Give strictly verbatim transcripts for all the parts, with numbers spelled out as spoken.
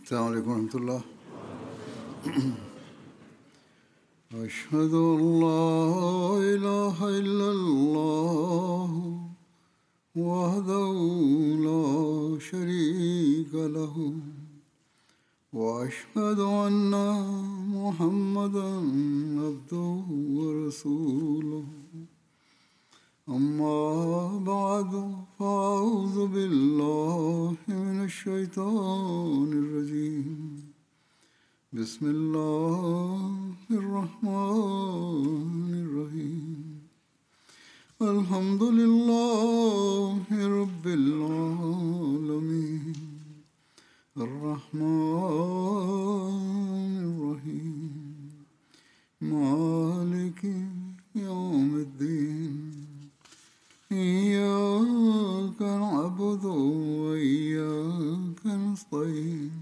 السلام علیکم ورحمۃ اللہ۔ اشہد ان لا الہ الا اللہ وحدہ لا شریک لہ واشہد ان محمدا عبدہ ورسولہ، اما بعد فاعوذ باللہ من الشیطان الرجیم، بسم اللہ الرحمن الرحیم، الحمد للہ رب العالمین، الرحمن الرحیم، مالک یوم الدین، إياك نعبد وإياك نستعين،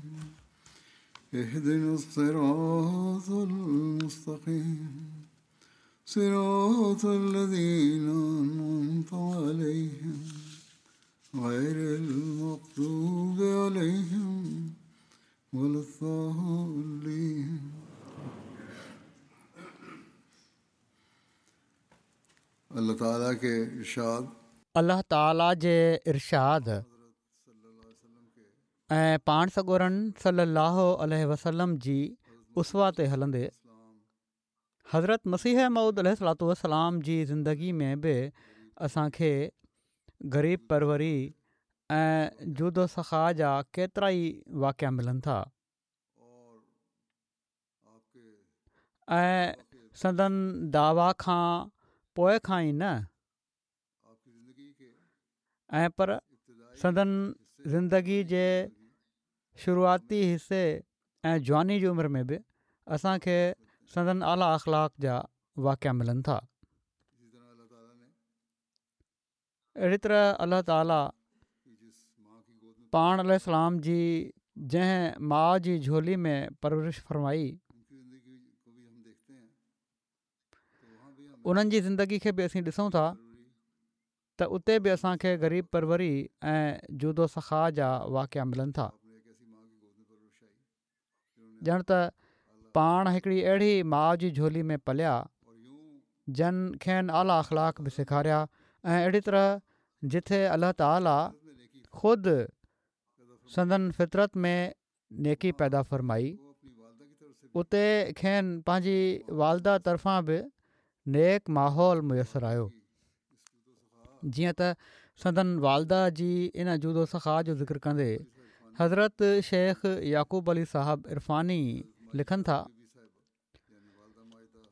اهدنا الصراط المستقيم، صراط الذين أنعمت عليهم غير المغضوب عليهم ولا الضالين۔ الله تعاليٰ के इरशाद الله تعاليٰ جي ارشاد ۽ پاڻ سڳورن صلي الله عليه وسلم جي اسوا تي هلندي حضرت مسيح موعود عليه الصلوة والسلام جي زندگي ۾ به اسان کي غريب پروري ۽ جود و سخا جا ڪيترا ئي واقعا ملن ٿا ۽ سندن دعويٰ کان پوءِ کان ئي نه ۽ پر سندن زندگي جي شروعاتي حصي ۽ جواني جي عمر ۾ به اسان کي سندن اعليٰ اخلاق جا واقعا ملن ٿا۔ اهڙي طرح الله تعاليٰ پاڻ عليه السلام جي جنهن ماءُ جي جهولي ۾ پرورش فرمائي انهن جي زندگي کي به اسين ڏسون ٿا ته اتي به اسان کي غريب پروري ۽ جود و سخا جا واقعا ملن ٿا۔ ڄڻ ته پاڻ هڪڙي اهڙي ماءُ جي جهولي ۾ پليا جن کين اعليٰ اخلاق به سيکاريا ۽ اهڙي طرح جٿي الله تعاليٰ خود سندن فطرت ۾ نيڪي پيدا فرمائي اتي کين پنهنجي والده طرفان به نيڪ ماحول ميسر آيو۔ جيئن ته سندن والده جي ان جود و سخا جو ذڪر ڪندي حضرت شيخ يعقوب علي صاحب عرفاني لکن ٿا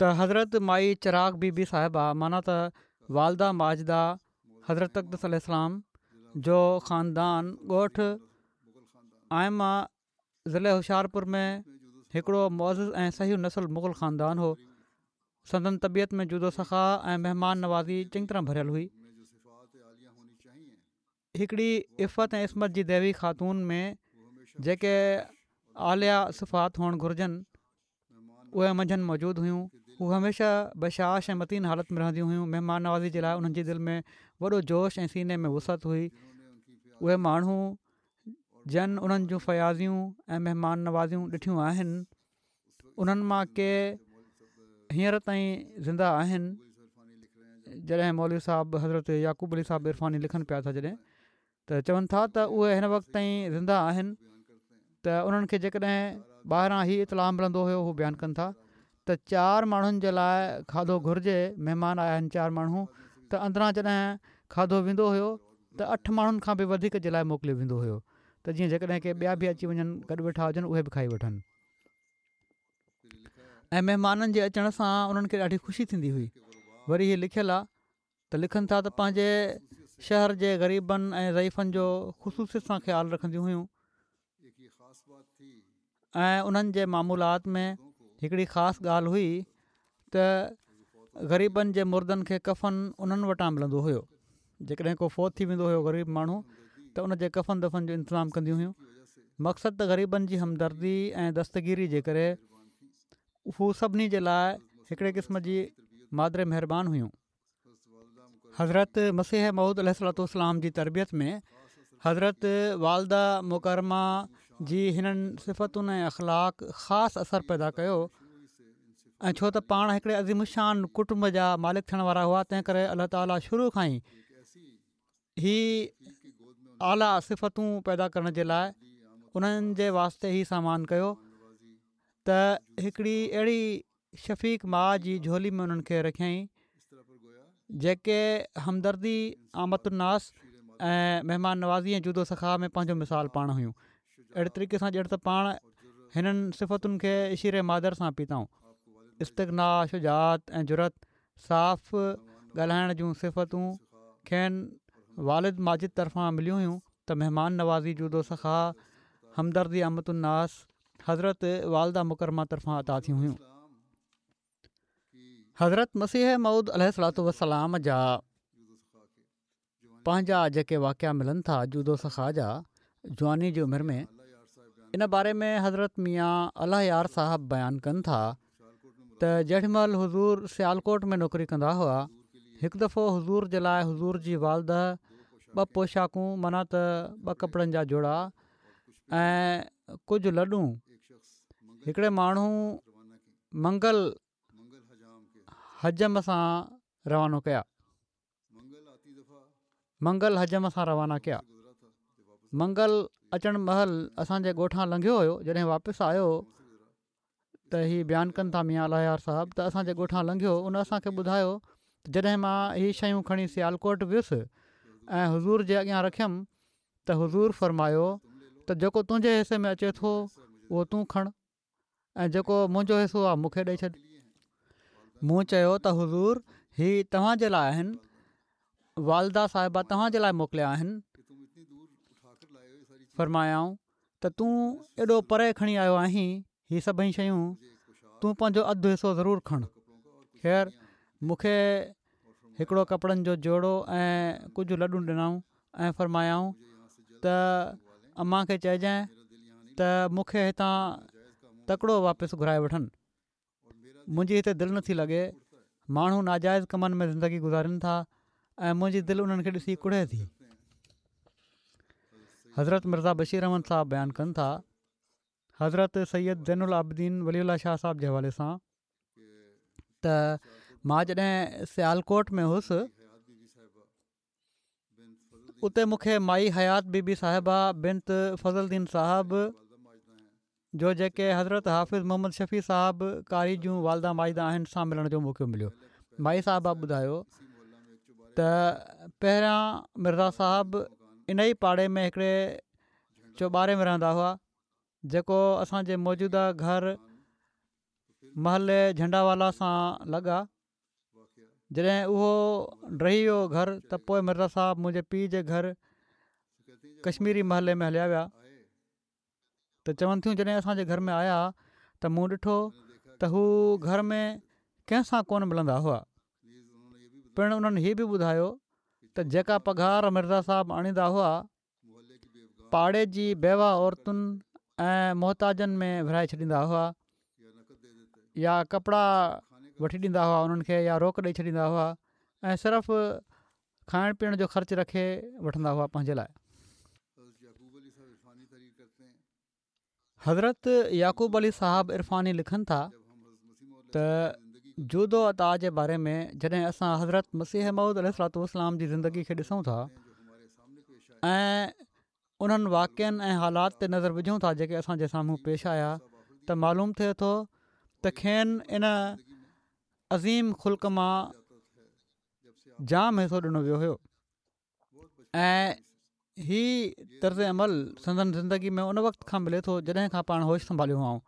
ته حضرت مائي چراغ بي بي صاحبه معنيٰ ته والده ماجده حضرت اقدس عليه السلام جو خاندان ڳوٺ آئمه ضلع هوشيارپور ۾ هڪڙو معزز ۽ صحيح نسل مغل خاندان هو۔ سندن طبيعت ۾ جود و سخا ۽ مهمان نوازي چڱي طرح ڀريل هئي۔ هڪڙي عفت ۽ عصمت جي ديوي خاتون ۾ جيڪي اعليٰ صفات هئڻ گهرجن اهي منجهن موجود هيون۔ هو هميشه بشاش ۽ متين حالت ۾ رهنديون هيون۔ مهمان نوازي جي لاءِ انهن جي دل ۾ وڏو جوش ۽ سيني ۾ وسعت هئي۔ اهي ماڻهو جن انهن جون فياضيون ۽ مهمان نوازيون ڏٺيون آهن انهن مان ڪي هينئر تائين زنده آهن۔ جڏهن مولوي صاحب حضرت يعقوب علي صاحب عرفاني لکن پيا ٿا جڏهن ته چون ٿا ته اهي هن وقت تائين زنده آهن ته انهن کي جيڪڏهن ٻاهران هي اطلاع ملندو هيو هو بيان ڪن ٿا ته چار ماڻهن جي لاءِ کاڌو گهرجي، مهمان آيا آهن چار ماڻهو، ته اندران جڏهن کاڌو ويندو هيو ته اٺ ماڻهن کان به وڌيڪ جي لاءِ موڪليو ويندو هيو ته جيئن جيڪڏهن ڪي ٻيا به اچي وڃن گڏ ويٺا هجن اهي به کائي وٺن۔ ۽ مهمانن جي اچڻ سان انهن کي ڏاڍي خوشي ٿيندي هئي۔ وري هي لکيل آهي ته لکن ٿا ته پنهنجي شهر جي غريبن ۽ ضعيفن جو خصوصيت سان خيال رکنديون هيون ۽ انهن جي معمولات ۾ هڪڙي خاص ڳالهه هئي ته غريبن جي مردن کي ڪفن انهن وٽان ملندو هيو۔ جيڪڏهن ڪو فوت ٿي ويندو هيو غريب ماڻهو ته ان جي ڪفن دفن جو انتظام ڪنديون هيون۔ مقصد ته غريبن جي همدردي ۽ دستگيري جي ڪري هو سڀني جي لاءِ هڪڙي قسم جي مادر مهربان هيون۔ حضرت مسيح موعود عليه الصلوة والسلام جي تربيت ۾ حضرت والده مڪرمه جي هنن صفتن ۽ اخلاق خاص اثر پيدا ڪيو ۽ ڇو ته پاڻ هڪڙي عظيم الشان ڪٽنب جا مالڪ ٿيڻ وارا هئا، تنهن ڪري الله تعاليٰ شروع کان ئي هي اعليٰ صفتون پيدا ڪرڻ جي لاء انهن جي واسطي هي سامان ڪيو ته هڪڙي اهڙي شفيق ماء جي جهولي ۾ انهن کي رکيائين جيڪي همدردي، عامة الناس ۽ مهمان نوازي ۽ جود و سخا ۾ پنهنجو مثال پاڻ هيون. اهڙي طريقي سان ڄڻ ته پاڻ هنن صفتن کي شير مادر سان پيتائون. استغنا، شجاعت ۽ جرئت، صاف ڳالهائڻ جون صفتون کين والد ماجد طرفان مليون هيون ته مهمان نوازي، جود و سخا، همدردي عامة الناس حضرت والده مڪرمه طرفان عطا ٿيون هيون. حضرت مسيح موعود عليه الصلوة والسلام جا پنهنجا جيڪي واقعا ملن ٿا جود و سخا جا جواني جي عمر ۾ ان باري ۾ حضرت ميان الله يار صاحب بيان ڪن ٿا ته جيڏي مهل حضور سيالڪوٽ ۾ نوڪري ڪندا هئا هڪ دفعو حضور جي لاء حضور جي والده ٻه پوشاڪون معنيٰ ته ٻه ڪپڙن جا جوڙا ۽ ڪجهه لڏون هڪڙي ماڻهو منگل حجم سان روانو ڪيا منگل حجم سان روانا ڪيا. منگل اچڻ مهل اسان جي ڳوٺان لنگهيو هيو جڏهن واپس آيو ته هي بيان ڪن ٿا ميان الله يار صاحب ته اسان جي ڳوٺان لنگهيو ان اسان کي ٻڌايو ته جڏهن مان هي شيون کڻي سيالڪوٽ ويس ۽ حضور جي اڳيان رکيم ته حضور فرمايو ته جيڪو تنهنجي حصي ۾ اچي ٿو اهو تون کڻ ۽ جيڪو منهنجو حصو آهي مون کي ڏئي ڇڏ. مون چيو ته حضور هي توهان جي لاء آهن، والده صاحبه توهان جي لاء موڪليا آهن. فرمايائون ته تون ايڏو پري کڻي آيو آهين هي سڀئي شيون، تون پنهنجو اڌ حصو ضرور کڻ. خير مون کي هڪڙو ڪپڙن جو جوڙو ۽ ڪجهه لڏون ڏنائون ۽ فرمايائون ته امان کي چئجانء ته مون کي هتان تڪڙو واپس گهرائي وٺن منهنجي هتي دل نٿي لڳي ماڻهو ناجائز ڪمن ۾ زندگي گذارين ٿا ۽ منهنجي دل انهن کي ڏسي ڪڙهي ٿي. حضرت مرزا بشير احمد صاحب بيان ڪن ٿا حضرت سيد زين العابدين ولي الله شاهه صاحب جي حوالي سان ته مان جڏهن سيالڪوٽ ۾ هوس اتي مون کي مائي حيات بي بي صاحبه بنت فضل دين صاحب جو جيڪي حضرت حافظ محمد شفيع صاحب قاري جون والده ماجده آهن سان ملڻ جو موقعو مليو مائي صاحبه ٻڌايو ته پهريان مرزا صاحب ان ئي پاڙي ۾ هڪڙي چوٻاري ۾ رهندا هئا جيڪو اسان جي موجوده گهر محلي جهنڊا والا سان لڳ آ. جڏهن اهو ڊهي ويو گهر ته پوء مرزا صاحب منهنجي پيء جي گهر ڪشميري محلي ۾ هليا ويا ته چون ٿيون جڏهن اسان جي گهر ۾ آيا ته مون ڏٺو ته هو گهر ۾ ڪنهن سان ڪونه ملندا هئا پڻ انهن هي به ٻڌايو ته جيڪا پگهار مرزا صاحب آڻيندا هئا پاڙي جي بيوه عورتن ۽ محتاجن ۾ ورهائي ڇڏيندا هئا يا ڪپڙا وٺي ڏيندا هئا انهن کي يا روڪ ڏئي ڇڏيندا هئا ۽ صرف کائڻ پيئڻ جو خرچ رکي وٺندا هئا پنهنجي لاء. حضرت يعقوب علي صاحب عرفاني لکن ٿا ته جود و عطا جي باري ۾ جڏهن اسان حضرت مسيح موعود عليه الصلوة والسلام جي زندگي کي ڏسون ٿا ۽ انهن واقعن ۽ حالات تي نظر وجهون ٿا جيڪي اسان جي سامهون پيش آيا ته معلوم ٿئي ٿو ته کين ان عظيم خلق مان جام حصو ڏنو ويو هيو ۽ هي طرز عمل سندن زندگي ۾ ان وقت کان ملي ٿو جڏهن کان پاڻ هوش سنڀاليو هئائون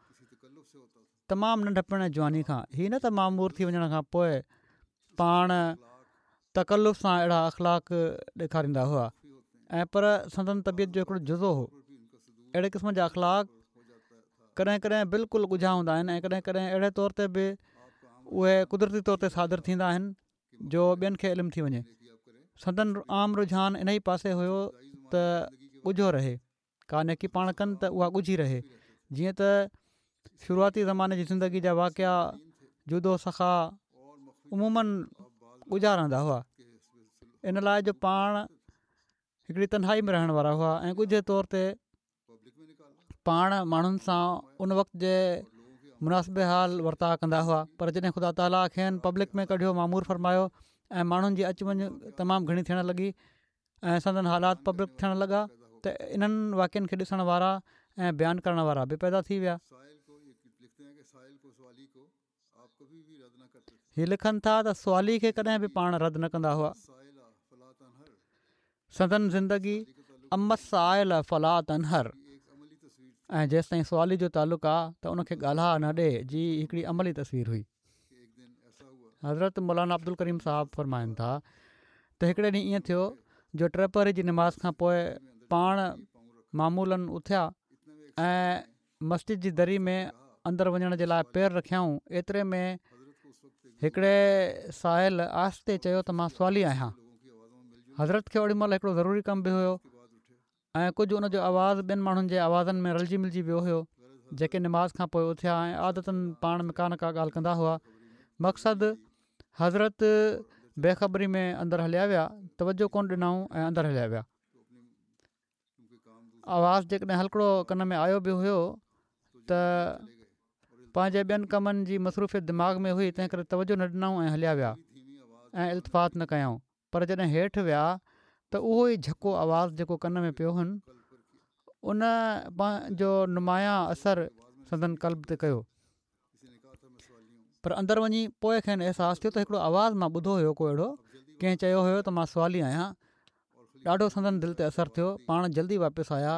تمام ننڍپڻ ۽ جواني کان هي نه ته مامور ٿي وڃڻ کان پوء پاڻ تڪلف سان اهڙا اخلاق ڏيکاريندا هئا ۽ پر سندن طبيعت جو هڪڙو جزو هو اهڙي قسم جا اخلاق ڪڏهن ڪڏهن بلڪل ڳجها هوندا آهن ۽ ڪڏهن ڪڏهن اهڙي طور تي به اهي قدرتي طور تي صادر ٿيندا آهن جو ٻين کي علم ٿي وڃي. سندن عام رجحان انهي پاسي هيو ته ڳجهو رهي. ڪا نيڪي پاڻ ڪن ته اها ڳجهي رهي. جيئن ته شروعاتي زماني جي زندگي جا واقعا جود و سخا عموماً ڳجها رهندا هئا. ان لاء جو پاڻ هڪڙي تنهائي ۾ رهڻ وارا هئا ۽ ڳجهي طور تي پاڻ ماڻهن سان ان وقت جي مناسب حال ورتاءُ ڪندا هئا، پر جڏهن خدا تعاليٰ کين پبلڪ ۾ ڪڍيو مامور فرمايو ۽ ماڻهن جي اچ وڃ تمام گهڻي ٿيڻ لڳي ۽ سندن حالات پبلڪ ٿيڻ لڳا ته انهن واقعن کي ڏسڻ وارا ۽ بيان ڪرڻ وارا به پيدا ٿي ويا. هي لکن ٿا ته سوالي کي ڪڏهن به پاڻ رد نه ڪندا هئا. سندن زندگي اما السائل فلا تنهر ۽ جيستائين سوالي جو تعلق آ ته ان کي ڳالها نه ڏي جي هڪڙي عملي تصوير هئي. حضرت مولانا عبدالڪريم صاحب فرمائن ٿا ته هڪڙي ڏينهن ائين ٿيو جو ٽپهري جي نماز کان پوء پاڻ معمولاً اٿيا ۽ مسجد جي دري ۾ اندر وڃڻ جي لاء پير رکيائون، ايتري ۾ هڪڙي سائل آهستي چيو ته مان سوالي آهيان. حضرت کي اوڏي مهل هڪڙو ضروري ڪم به هيو ۽ ڪجهه ان جو آواز ٻين ماڻهن جي آوازن ۾ رلجي ملجي ويو هيو جيڪي نماز کان پوء اٿيا ۽ عادتاً پاڻ ۾ ڪا نه ڪا ڳالهه ڪندا هئا. مقصد حضرت بي خبري ۾ اندر هليا ويا، توجه ڪونه ڏنائون ۽ اندر هليا ويا. آواز جيڪڏهن هلڪڙو ڪن ۾ آيو به هيو ته پنهنجي ٻين ڪمن جي مصروفيت دماغ ۾ هئي، تنهن ڪري توجه نه ڏنائون ۽ هليا ويا ۽ التفات نه ڪيائون. پر جڏهن هيٺ ويا ته اهو ئي جهڪو آواز جيڪو ڪن ۾ پيو هن ان پنهنجو نمايان اثر سندن قلب تي ڪيو. پر اندر وڃي پوء کين احساس ٿيو ته هڪڙو آواز مان ٻڌو هيو ڪو اهڙو ڪنهن چيو هيو ته مان سوالي آهيان. ڏاڍو سندن دل تي اثر ٿيو. پاڻ جلدي واپس آيا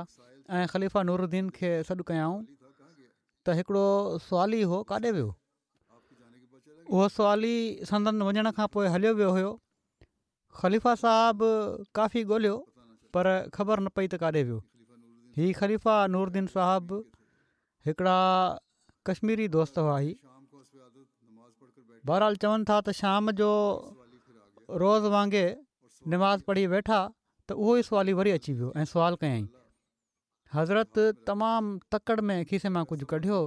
۽ خليفه نورالدين کي سڏ ڪيائون ته هڪڙو سوالي هو ڪاڏي ويو؟ اهو سوالي سندن وڃڻ کان پوء هليو ويو هيو. خليفه صاحب ڪافي ڳوليو پر خبر نه پئي ته ڪاڏي ويو. هي خليفه نورالدين صاحب هڪڙا ڪشميري دوست هئا. هي بهرحال چون ٿا ته شام جو روز وانگي نماز پڙهي ويٺا ته اهو ئي سوالي وري اچي ويو ۽ سوال ڪيائين. حضرت تمام تڪڙ ۾ کيسي مان ڪجهه ڪڍيو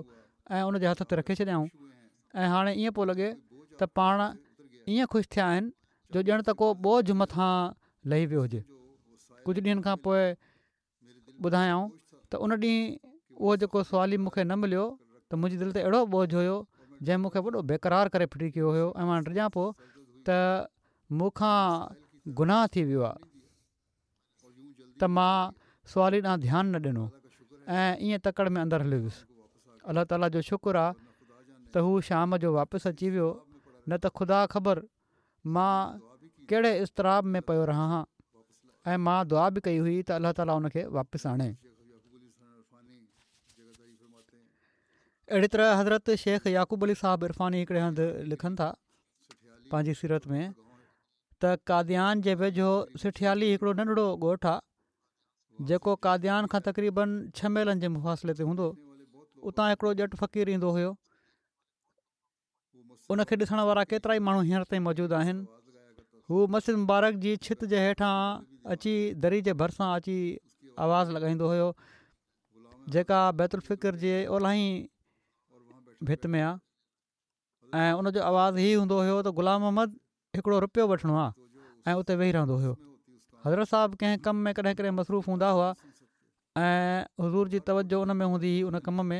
۽ ان جي هٿ تي رکي ڇڏيائون ۽ هاڻي ائين پيو لڳي ته پاڻ ائين خوش ٿيا آهن جو ڄڻ ته ڪو ٻوجهه مٿان لهي ويو هجي. ڪجهه ڏينهن کان پوء ٻڌايائون ته ان ڏينهن اهو جيڪو سوالي مون کي نه مليو ته منهنجي دل تي اهڙو ٻوجهه هيو جنهن مون کي وڏو بيقرار ڪري ڦٽي ڪيو هيو ۽ مان ڊڄان پيو ته مون کان گناهه ٿي ويو آهي ته مان سوالي ڏانهن ڌيان نه ڏنو ۽ ائين تڪڙ ۾ اندر هليو ويس. الله تعاليٰ جو شڪر آهي ته هو شام جو واپس اچي ويو نه ته خدا خبر مان ڪهڙي اضطراب ۾ پيو رهان ها ۽ مان دعا به ڪئي هئي ته الله تعاليٰ ان کي واپس آڻي. اهڙي طرح حضرت شيخ يعقوب علي صاحب عرفاني هڪڙي هنڌ لکن ٿا پنهنجي سيرت ۾ ته قاديان جي ويجهو سٺيالي هڪڙو ننڍڙو ڳوٺ آهي جيڪو قاديان کان تقريبن ڇهه ميلن جي مفاصلي تي هوندو. اتان هڪڙو ڄٽ فقير ايندو هيو. ان کي ڏسڻ وارا ڪيترائي ماڻهو هينئر تائين موجود آهن. هو مسجد مبارڪ جي ڇت جي هيٺان اچي دري جي ڀرسان اچي آواز لڳائيندو هيو جيڪا بيت الفڪر جي اولاهين ڀت ۾ آ ۽ ان جو آواز هي هوندو هيو ته غلام محمد هڪڙو رپيو وٺڻو آ ۽ اتي ويهي رهندو هيو. حضرت صاحب ڪنهن ڪم ۾ ڪڏهن ڪڏهن مصروف هوندا هئا ۽ حضور جي توجه ان ۾ هوندي هئي ان ڪم ۾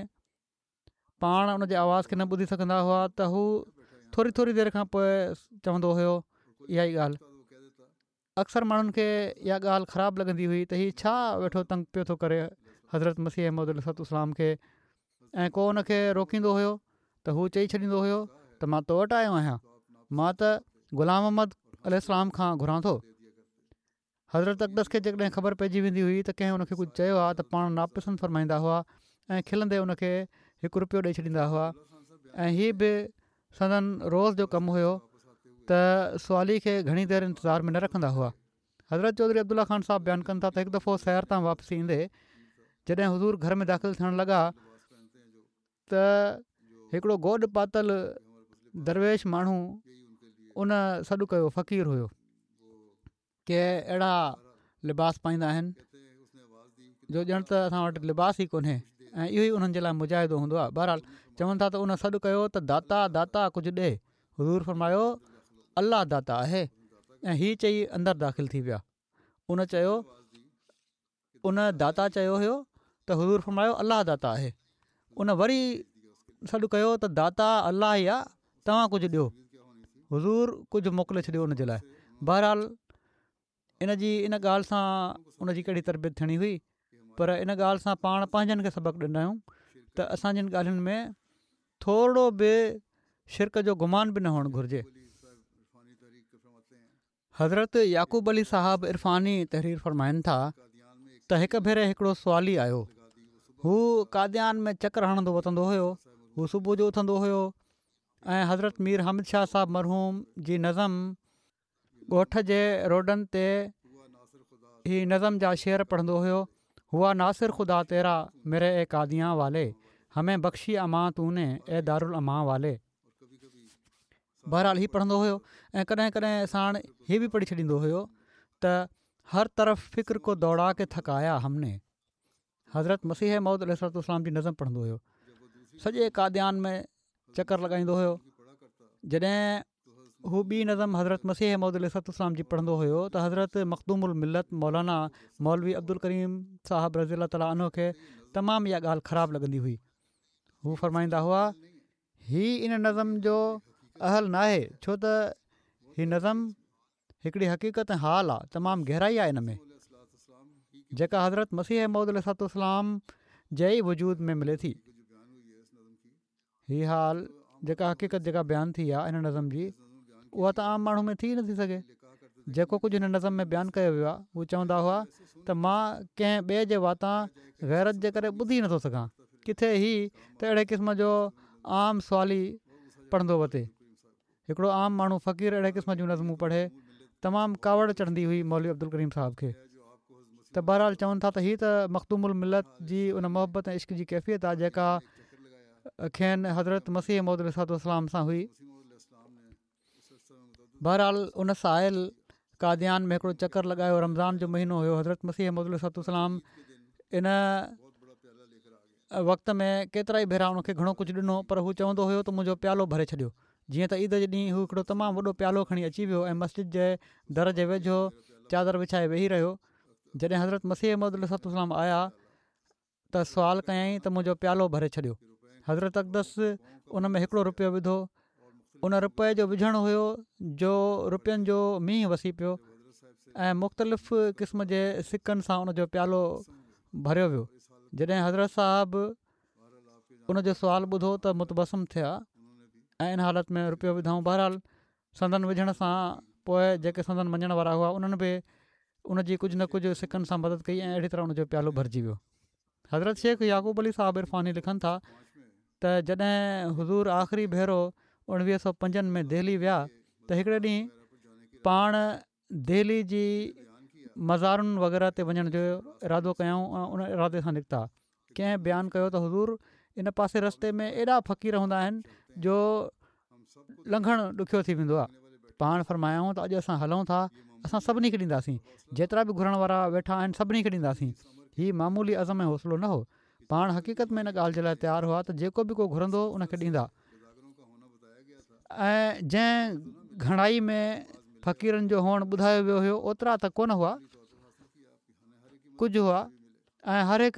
پاڻ ان جي آواز کي نه ٻڌي سگهندا هئا ته هو ٿوري ٿوري دير کان پوء چوندو هيو اها ئي ڳالهه اڪثر ماڻهن کي اها ڳالهه خراب لڳندي هئي ته هي ڇا ويٺو تنگ پيو ٿو ڪري حضرت مسيح موعود عليه الصلوة والسلام کي ۽ ڪو ان کي روڪيندو هيو ته هو چئي ڇڏيندو هيو ته مان تو وٽ آيو آهيان مان ته غلام محمد عليه السلام کان گهران ٿو. حضرت اقدس کي جيڪڏهن خبر پئجي ويندي هئي ته ڪنهن ان کي ڪجهه چيو آهي ته پاڻ ناپسند فرمائيندا هئا ۽ کلندي ان کي هڪ روپيو ڏئي ڇڏيندا هئا ۽ هي به سندن روز جو ڪم هيو ته سوالي کي گهڻي دير انتظار ۾ نه رکندا هئا. حضرت چوڌري عبدالله خان صاحب بيان ڪن ٿا ته هڪ دفعو سير تان واپس ايندي جڏهن حضور گهر ۾ داخل ٿيڻ لڳا ته هڪڙو گوڏ پاتل درويش ماڻهو ان سڏ ڪيو فقير هيو. ڪي اهڙا لباس پائيندا آهن جو ڄڻ ته اسان وٽ لباس ئي ڪونهي ۽ اهو ئي انهن جي لاء مجاهدو هوندو آهي بهرحال چون ٿا ته ان سڏ ڪيو ته داتا داتا ڪجهه ڏي حضور فرمايو الله داتا آهي ۽ هي چئي اندر داخل ٿي ويا ان چيو ان داتا چيو هيو ته حضور فرمايو الله داتا آهي. ان وري سڏ ڪيو ته داتا الله ئي آهي، توهان ڪجهه ڏيو. حضور ڪجهه موڪلي ڇڏيو ان جي لاءِ. بهرحال ان جي ان ڳالهه سان ان جي ڪهڙي تربيت ٿيڻي هئي، پر ان ڳالهه سان پاڻ پنهنجن کي سبق ڏنا آهيون ته اسان جن ڳالهين ۾ ٿورو به شرڪ جو گمان به نه هئڻ گهرجي. حضرت يعقوب علي صاحب عرفاني تحرير فرمائن ٿا ته هڪ ڀيري هڪڙو سوالي آيو. هو قاديان ۾ چڪر هڻندو وتندو هيو. هو صبح جو اٿندو هيو ۽ حضرت مير حامد شاهه صاحب مرحوم جي نظم ڳوٺ جي روڊن تي هي نظم جا شعر پڙهندو هيو. هوا ناصر خدا تيرا ميري اي قاديان والي، همين بخشي امان تو ني اي دارالامان والي. بهرحال هي پڙهندو هيو ۽ ڪڏهن ڪڏهن ساڻ هي به پڙهي ڇڏيندو هيو ته هر طرف فڪر ڪو دوڙا ڪي ٿڪايا هم ني. حضرت مسيح موعود عليه الصلوة والسلام جي نظم پڙهندو هيو. سڄي قاديان ۾ چڪر لڳائيندو هيو. جڏهن هو ٻي نظم حضرت مسيح موعود عليه الصلوة والسلام جي پڙهندو هيو ته حضرت مخدوم الملت مولانا مولوي عبدالڪريم صاحب رضي الله تعالٰي عنه کي تمام اها ڳالهه خراب لڳندي هئي. هو فرمائيندا هئا هي ان نظم جو اهل ناهي، ڇو ته هي نظم هڪڙي حقيقت ۽ حال آهي، تمام گهرائي آهي ان ۾ جيڪا حضرت مسيح موعود عليه الصلوة والسلام جي ئي وجود ۾ ملي ٿي. هي حال جيڪا حقيقت جيڪا بيان ٿي آهي هن نظم جي، اها ته عام ماڻهو ۾ ٿي نٿي سگهي. جيڪو ڪجهه هن نظم ۾ بيان ڪيو ويو آهي، هو چوندا هئا ته مان ڪنهن ٻئي جي واتان غيرت جي ڪري ٻڌي نٿو سگهان، ڪٿي هي ته اهڙي قسم جو عام سوالي پڙهندو وتي. هڪڙو عام ماڻهو فقير اهڙي قسم جون نظمون پڙهي، تمام ڪاوڙ چڙهندي هئي مولوي عبدالڪريم صاحب کي. ته بهرحال چون ٿا ته هي ته مخدوم الملت جي ان محبت ۽ عشق جي ڪيفيت آهي جيڪا کين حضرت مسيح موعود عليه الصلوة والسلام سان هئي. بهرحال ان سائل قاديان ۾ هڪڙو چڪر لڳايو. رمضان جو مهينو هيو. حضرت مسيح موعود عليه الصلوة والسلام ان وقت ۾ ڪيترا ئي ڀيرا ان کي گهڻو ڪجهه ڏنو، پر هو چوندو هيو ته منهنجو پيالو ڀري ڇڏيو. جيئن ته عيد جي ڏينهن هو هڪڙو تمام وڏو پيالو کڻي اچي ويو ۽ مسجد جي در جي ويجهو چادر وڇائي ويهي رهيو. جڏهن حضرت مسيح موعود عليه الصلوة والسلام آيا ته سوال ڪيائين ته منهنجو پيالو ڀري ڇڏيو. حضرت اقدس ان ۾ هڪڙو رپيو وڌو. ان رپئي جو وجهڻ هيو جو رپين جو مينهن وسي پيو ۽ مختلف قسم جي سڪن سان ان جو پيالو ڀريو ويو. جڏهن حضرت صاحب ان جو سوال ٻڌو ته متبسم ٿيا ۽ ان حالت ۾ رپيو وڌائون. بهرحال سندن وجهڻ سان پوءِ جيڪي سندن مڃڻ وارا هئا انهن به ان جي ڪجهه نه ڪجهه سڪن سان مدد ڪئي ۽ اهڙي طرح ان جو پيالو ڀرجي ويو. حضرت شيخ يعقوب علي صاحب عرفاني لکن ٿا ته جڏهن حضور آخري ڀيرو اڻويهه سؤ پنجن ۾ دهلي ويا ته هڪڙي ڏينهن پاڻ دهلي جي مزارن وغيره تي وڃڻ جو ارادو ڪيائون ۽ ان ارادي سان نڪتا. ڪنهن بيان ڪيو ته حضور ان پاسي رستي ۾ ايڏا فقير هوندا آهن جو لنگهڻ ڏکيو ٿي ويندو آهي. پاڻ فرمايائون ته اڄ اسان هلون ٿا، اسان سڀني کي ڏينداسين، جيترا به گهرڻ وارا ويٺا آهن سڀني کي ڏينداسين. هي معمولي عزم ۽ حوصلو نه هو. پاڻ حقيقت ۾ ان ڳالهه جي لاءِ تيار هئا ته جيڪو به ڪو گهرندو ان کي ڏيندا، ۽ جنهن گهڻائي ۾ فقيرن جو هئڻ ٻڌايو ويو هيو اوترا ته ڪونه هئا، ڪجهه هئا، ۽ هر هڪ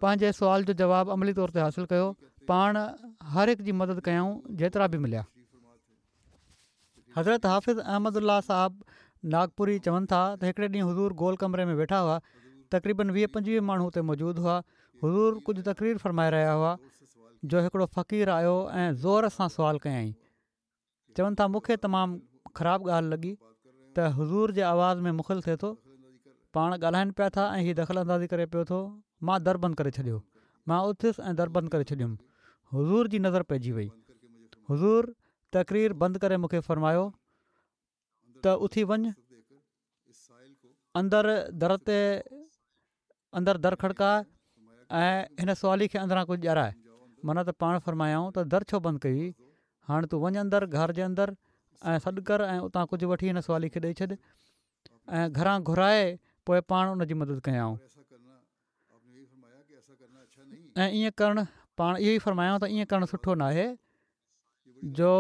پنهنجي سوال جو جواب عملي طور تي حاصل ڪيو. پاڻ هر هڪ جي مدد ڪيائون جيترا به مليا. حضرت حافظ احمد الله صاحب ناگپوري چون ٿا ته هڪڙي ڏينهن حضور گول ڪمري ۾ ويٺا هئا. تقريبن ويهه پنجويهه ماڻهو اتي موجود هئا. حضور ڪجهه تقرير فرمائي رهيا هئا جو هڪڙو فقير آيو ۽ زور سان سوال ڪيائين. چون ٿا مون کي تمام خراب ڳالهه لڳي ته حضور جي آواز ۾ مخل ٿئي ٿو. پاڻ ڳالهائن پيا ٿا ۽ هي دخل اندازي ڪري پيو ٿو. مان در بند ڪري ڇڏيو. مان اٿيس ۽ در بند ڪري ڇڏيم. حضور جي نظر پئجي وئي. حضور تقرير بند ڪري مون کي فرمايو ته اٿي وڃ، اندر در تي اندر در کڙڪاء ۽ هن سوالي کي اندران ڪجهه ڏيارائي. معنيٰ ته پاڻ فرمايائون ته در ڇو بند ڪيئي، هاڻي تون وڃ اندر گهر جي اندر ۽ سڏ ڪر ۽ اتان ڪجهه وٺي هن سوالي کي ڏئي ڇڏ. ۽ گهران گهرائي پوءِ پاڻ ان جي مدد ڪيائون. ۽ ائين ڪرڻ پاڻ اهو ئي فرمايائون ته ائين ڪرڻ سٺو ناهي جو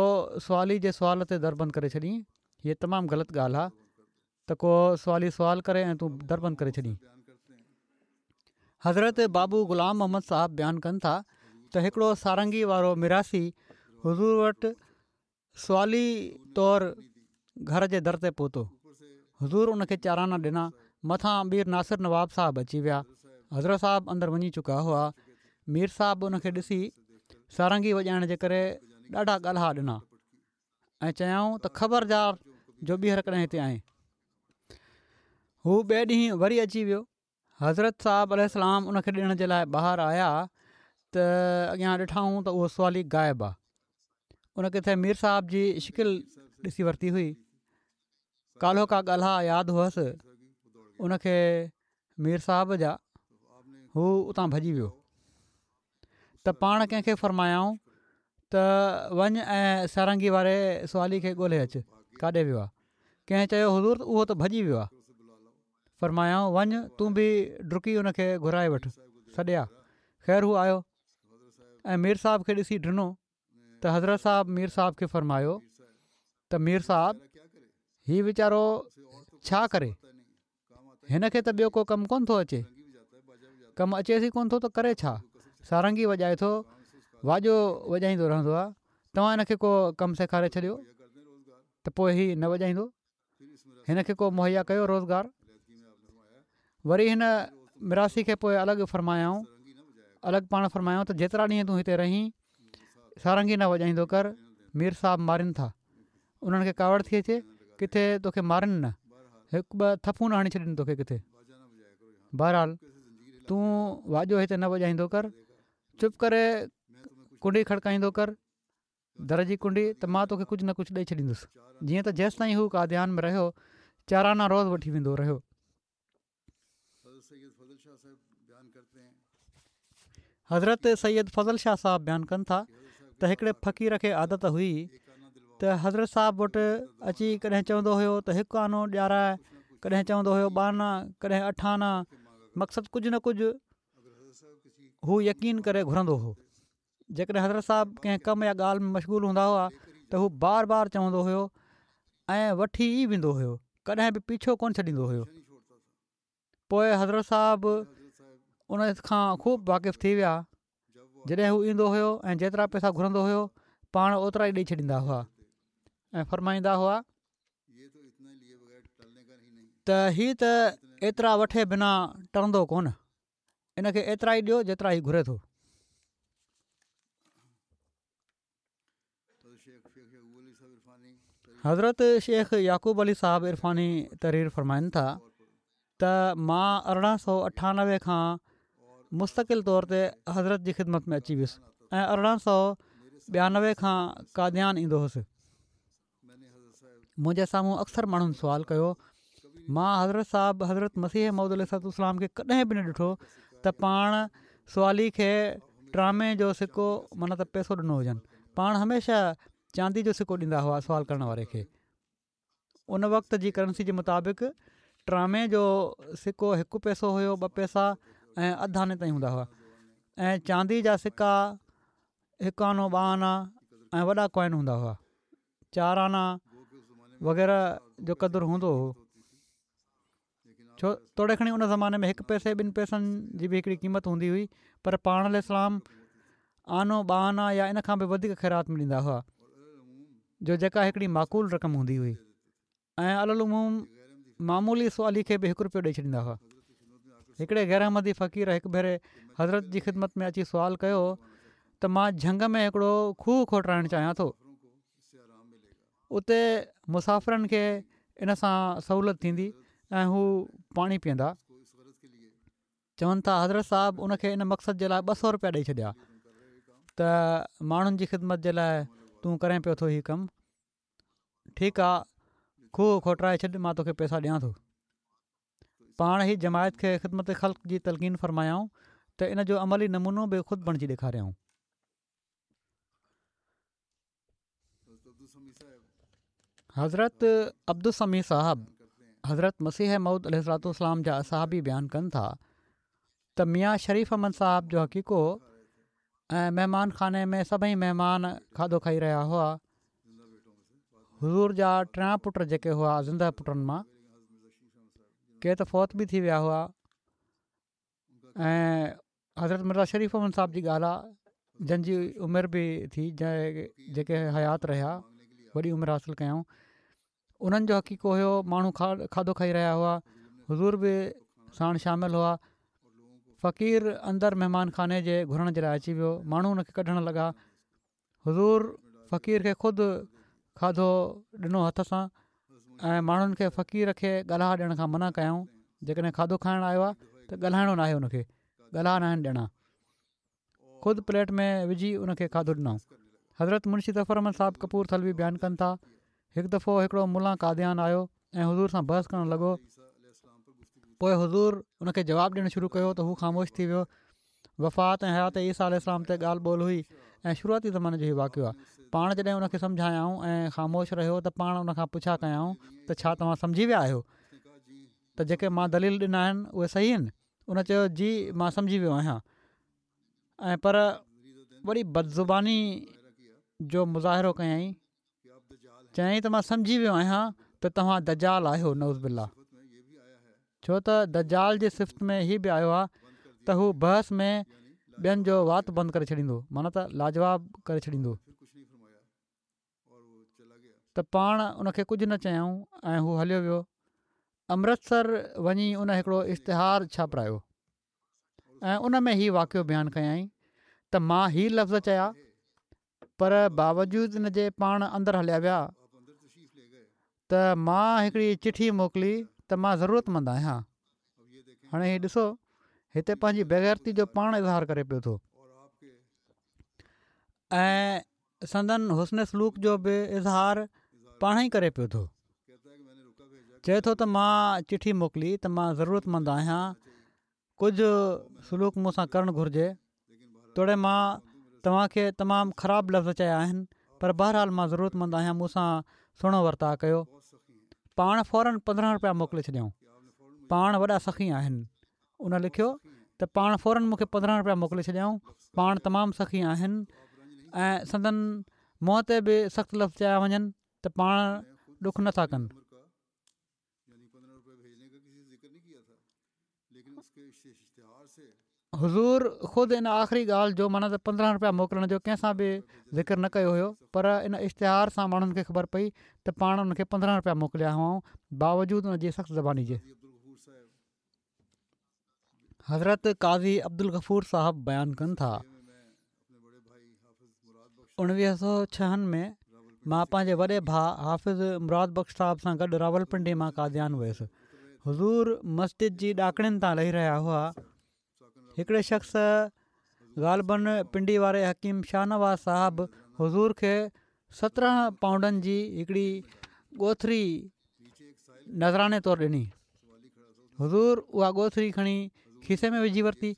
سوالي جي سوال تي در بند ڪري ڇڏين. هيءَ تمام غلط ڳالهه آهي ته ڪو سوالي سوال ڪري ۽ تون در بند ڪري ڇڏين. حضرت بابو غلام محمد صاحب بيان ڪن ٿا ته هڪڙو سارنگي وارو ميراثي حضور وٽ سوالي طور گهر جي در تي پهتو. حضور ان کي چار آنا ڏنا. مٿان مير ناصر نواب صاحب اچي ويا. حضرت صاحب اندر وڃي چڪا هئا. مير صاحب ان کي ڏسي سارنگي وڄائڻ جي ڪري ڏاڍا ڳالها ڏنا ۽ چيائون ته خبردار جو ٻيهر ڪڏهن هتي آئين. هو ٻئي ڏينهن وري اچي ويو. حضرت صاحب عليه السلام ان کي ڏيڻ جي لاء ٻاهر آيا ته اڳيان ڏٺائون ته اهو سوالي غائب آ. ان ڪٿي مير صاحب جي شڪل ڏسي ورتي هئي. ڪالهوڪا ڳالها ياد هئس ان کي مير صاحب جا، هو اتان ڀڄي ويو ته پاڻ ڪنهن کي فرمايائون ته وڃ ۽ سارنگي واري سوالي کي ڳولهي اچ ڪاڏي ويو آ. ڪنهن چيو حضور اهو ته ڀڄي ويو آ. فرمايائون وڃ تون به ڊڪي ان کي گهرائي وٺ، سڏي آ. خير هو آيو ۽ مير صاحب کي ڏسي ڊنو ته حضرت صاحب مير صاحب کي فرمايو ته مير صاحب هي ويچارو ڇا ڪري، هن کي ته ٻيو ڪو ڪم ڪونه ٿو اچي، ڪم اچيس ئي ڪونه ٿو ته ڪري ڇا، سارنگي وڄائي ٿو، واڄو وڄائيندو رهندو آهي، توهان هن کي ڪو ڪم سيکاري ڇڏيو ته پوء هي نه وڄائيندو. هن کي ڪو مهيا ڪيو روزگار. وري هن مراسي کي پوء الڳ فرمايائون الڳ پاڻ فرمايائون ته جيترا ڏينهن تون هتي رهين سارنگي نه وڄائيندو ڪر، مير صاحب مارين ٿا. انهن کي ڪاوڙ ٿي اچي ڪٿي توکي مارين نه، هڪ ٻه ٿڦون نه هڻي ڇڏين توکي ڪٿي. بهرحال تون واڄو هتي نه وڄائيندو ڪر، چپ ڪري ڪنڊي کڙڪائيندو ڪر. در جي ڪنڊي ته مان توکي ڪجهه نه ڪجهه ڏئي ڇڏيندس. جيئن ته جيستائين هو قاديان ۾ رهيو، چار آنا روز وٺي ويندو رهيو. حضرت سيد فضل شاهه صاحب بيان ڪن ٿا ته هڪڙي فقير کي عادت هئي ته حضرت صاحب وٽ اچي ڪڏهن چوندو هيو ته هڪ آنو ڏياراء، ڪڏهن چوندو هيو ٻه آنا، ڪڏهن اٺ آنا، مقصد ڪجهه نه ڪجهه هو يقين ڪري گهرندو هو. جيڪڏهن حضرت صاحب ڪنهن ڪم يا ڳالهه ۾ مشغول هوندا هئا ته هو بار بار چوندو هيو ۽ وٺي ئي ويندو هيو ڪڏهن به پيڇو ڪونه ڇڏيندو هيو. پوء حضرت صاحب ان کان خوب واقف ٿي ويا جڏهن هو ايندو هيو ۽ جيترا پئسا گهرندو هيو پاڻ اوترا ئي ڏئي ڇڏيندا هئا ۽ فرمائيندا هئا ته هي ته ايترا وٺي بنا ٽرندو ڪونه. ان کي ايترا ئي ڏيو جيترا هي گهري ٿو. حضرت شيخ يعقوب علي صاحب عرفاني تحرير فرمائن ٿا ته مان ارڙهن سؤ اٺانوي کان مستقل طور تي حضرت جي خدمت ۾ اچي ويس ۽ ارڙهن سؤ ٻيانوي کان قاديان ايندو هوس. منهنجي سامهون اڪثر ماڻهن سوال ڪيو، مان حضرت صاحب حضرت مسيح موعود عليه الصلوة والسلام کي ڪڏهن به نه ڏٺو ته پاڻ سوالي کي ٽرامي جو سڪو معنيٰ ته پئسو ڏنو هجن پاڻ هميشه چاندي جو سڪو ڏيندا هئا سوال ڪرڻ واري کي ان وقت جي ڪرنسي جي مطابق ٽرامي جو سڪو هڪ پئسو هيو ٻه پئسا ۽ اڌ آني تائين هوندا هئا ۽ چاندي جا سڪا هڪ آنو ٻه آنا ۽ وڏا ڪوائن هوندا هئا چار آنا وغيره جو قدر هوندو هو ڇو توڙي کڻي ان زماني ۾ هڪ پئسي ٻن پئسن جي به هڪڙي قيمت هوندي هئي پر پاڻ عليه السلام آنو ٻه آنا يا ان کان به وڌيڪ خيرات ۾ ڏيندا هئا جو جيڪا هڪڙي معقول رقم هوندي هئي ۽ علي العموم معمولي سوالي کي به هڪ روپيو ڏئي ڇڏيندا هئا. هڪڙي غير احمدي فقير هڪ ڀيري حضرت جي خدمت ۾ اچي سوال ڪيو ته مان جهنگ ۾ هڪڙو کوهه کوٽرائڻ چاهيان ٿو اتي مسافرن کي ان سان سهولت ٿيندي ۽ هو پاڻي پيئندا. چون ٿا حضرت صاحب ان کي ان مقصد جي لاء ٻه سؤ روپيا ڏئي ڇڏيا ته ماڻهن جي خدمت جي لاء تون ڪرين پيو ٿو هي ڪم. ٺيڪ آ کوهه کوٽرائي ڇڏ مان توکي پئسا ڏيان ٿو. پاڻ هي جماعت کي خدمت خلق جي تلقين فرمايائون ته ان جو عملي نمونو به خود بڻجي ڏيکاريائون. حضرت عبدالسميع صاحب حضرت مسيح موعود عليه الصلوة والسلام جا اصحابي بيان ڪن ٿا ته ميان شريف احمد صاحب جو عقيقو ۽ مهمان خاني ۾ سڀئي مهمان کاڌو کائي رهيا هئا. حضور جا ٽيان پٽ جيڪي هئا زنده پٽن مان ڪي ته فوت به ٿي ويا هئا. ۽ حضرت مرزا شريف احمد صاحب جي ڳالهه آهي، جن جي عمر به ٿي، جيڪي حيات رهيا، وڏي عمر حاصل ڪيائون، انهن جو عقيقو هيو. ماڻهو کاڌو کائي رهيا هئا، حضور به ساڻ شامل هئا. فقير اندر مهمان خاني جي گهرڻ جي لاء اچي ويو، ماڻهو ان کي ڪڍڻ لڳا. حضور فقير کي خود کاڌو ڏنو هٿ سان ۽ ماڻهن کي فقير کي ڳالها ڏيڻ کان منع ڪيائون. جيڪڏهن کاڌو کائڻ آيو آهي ته ڳالهائڻو ناهي، ان کي ڳالها ناهن ڏيڻا. خود پليٽ ۾ وجهي ان کي کاڌو ڏنائون. حضرت منشي ظفر احمد صاحب ڪپور ٿلوي بيان ڪن ٿا، هڪ دفعو هڪڙو ملان قاديان آيو ۽ حضور سان بحث ڪرڻ لڳو. پوء حضور ان کي جواب ڏيڻ شروع ڪيو ته هو خاموش ٿي ويو. وفات ۽ حيات عيسيٰ عليه السلام تي ڳالهه ٻولهه هئي ۽ شروعاتي زماني جو هي واقعو آهي. پاڻ جڏهن ان کي سمجهايائون ۽ خاموش رهيو ته پاڻ ان کان پڇا ڪيائون ته ڇا توهان سمجهي ويا آهيو ته جيڪي مان دليل ڏنا آهن اهي صحيح آهن؟ ان چيو جي مان سمجهي ويو آهيان ۽ پر وڏي بدزباني جو مظاهرو ڪيائين. چيائين ته مان سمجهي ويو آهيان ته توهان دجال آهيو نعوذ بالله. ڇو ته دجال جي صفت ۾ هي به آيو آهي ته هو بحث ۾ ٻين جو وات بند ڪري ڇڏيندو معنيٰ ته لاجواب ڪري ڇڏيندو. ته پاڻ ان کي ڪجهه نه چيائون ۽ هو هليو ويو. امرتسر وڃي ان هڪڙو اشتهار ڇاپرايو ۽ ان ۾ هي واقعو بيان ڪيائين ته مان هي لفظ چيا پر باوجود ان جي پاڻ اندر هليا ويا ته مان هڪڙي چٺي موڪلي ته مان ضرورت مند آهيان. هاڻي هي ڏسو هتي پنهنجي بيغيرتي جو پاڻ اظهار ڪري پيو ٿو ۽ سندن حسن سلوڪ جو به اظهار پاڻ ئي ڪري پيو ٿو. چئي ٿو ته مان چٺي موڪلي ته مان ضرورت مند آهيان ڪجهه سلوڪ مون سان ڪرڻ گهرجي، توڙي مان توهان کي تمام خراب لفظ چيا آهن، پر بهرحال مان ضرورتمند آهيان مون سان سهڻو ورتاء ڪيو. پاڻ فورن پندرهن رپيا موڪلي ڇڏيائون. پاڻ وڏا سخي آهن. ان لکيو ته پاڻ فورن مون کي پندرهن رپيا موڪلي ڇڏيائون، پاڻ تمام سخي آهن ۽ سندن منهن تي به سخت لفظ چيا وڃن ته پاڻ ڏک نه ٿا ڪن. حضور خود ان آخري ڳالهه جو معنيٰ ته پندرهن رپيا موڪلڻ جو ڪنهن سان به ذڪر نه ڪيو هيو پر ان اشتهار سان ماڻهن کي خبر پئي ته پاڻ ان کي پندرهن رپيا موڪليا هئائون باوجود ان جي سخت زباني جي. حضرت قاضي عبدالغفور صاحب بيان ڪن ٿا. اڻويهه سؤ ڇهن ۾ مان پنهنجي وڏي ڀاء حافظ مراد بخش صاحب سان گڏ راولپنڊي مان قاديان ويس. حضور مسجد جي ڏاڪڻين تان لهي رهيا هئا. هڪڙي شخص غالباً پنڊي واري حڪيم شاهنواز صاحب حضور کي سترهن پائونڊن جي هڪڙي ڳوٿري نذراني طور ڏني. حضور اها ڳوٿري کڻي کيسي ۾ وجهي ورتي.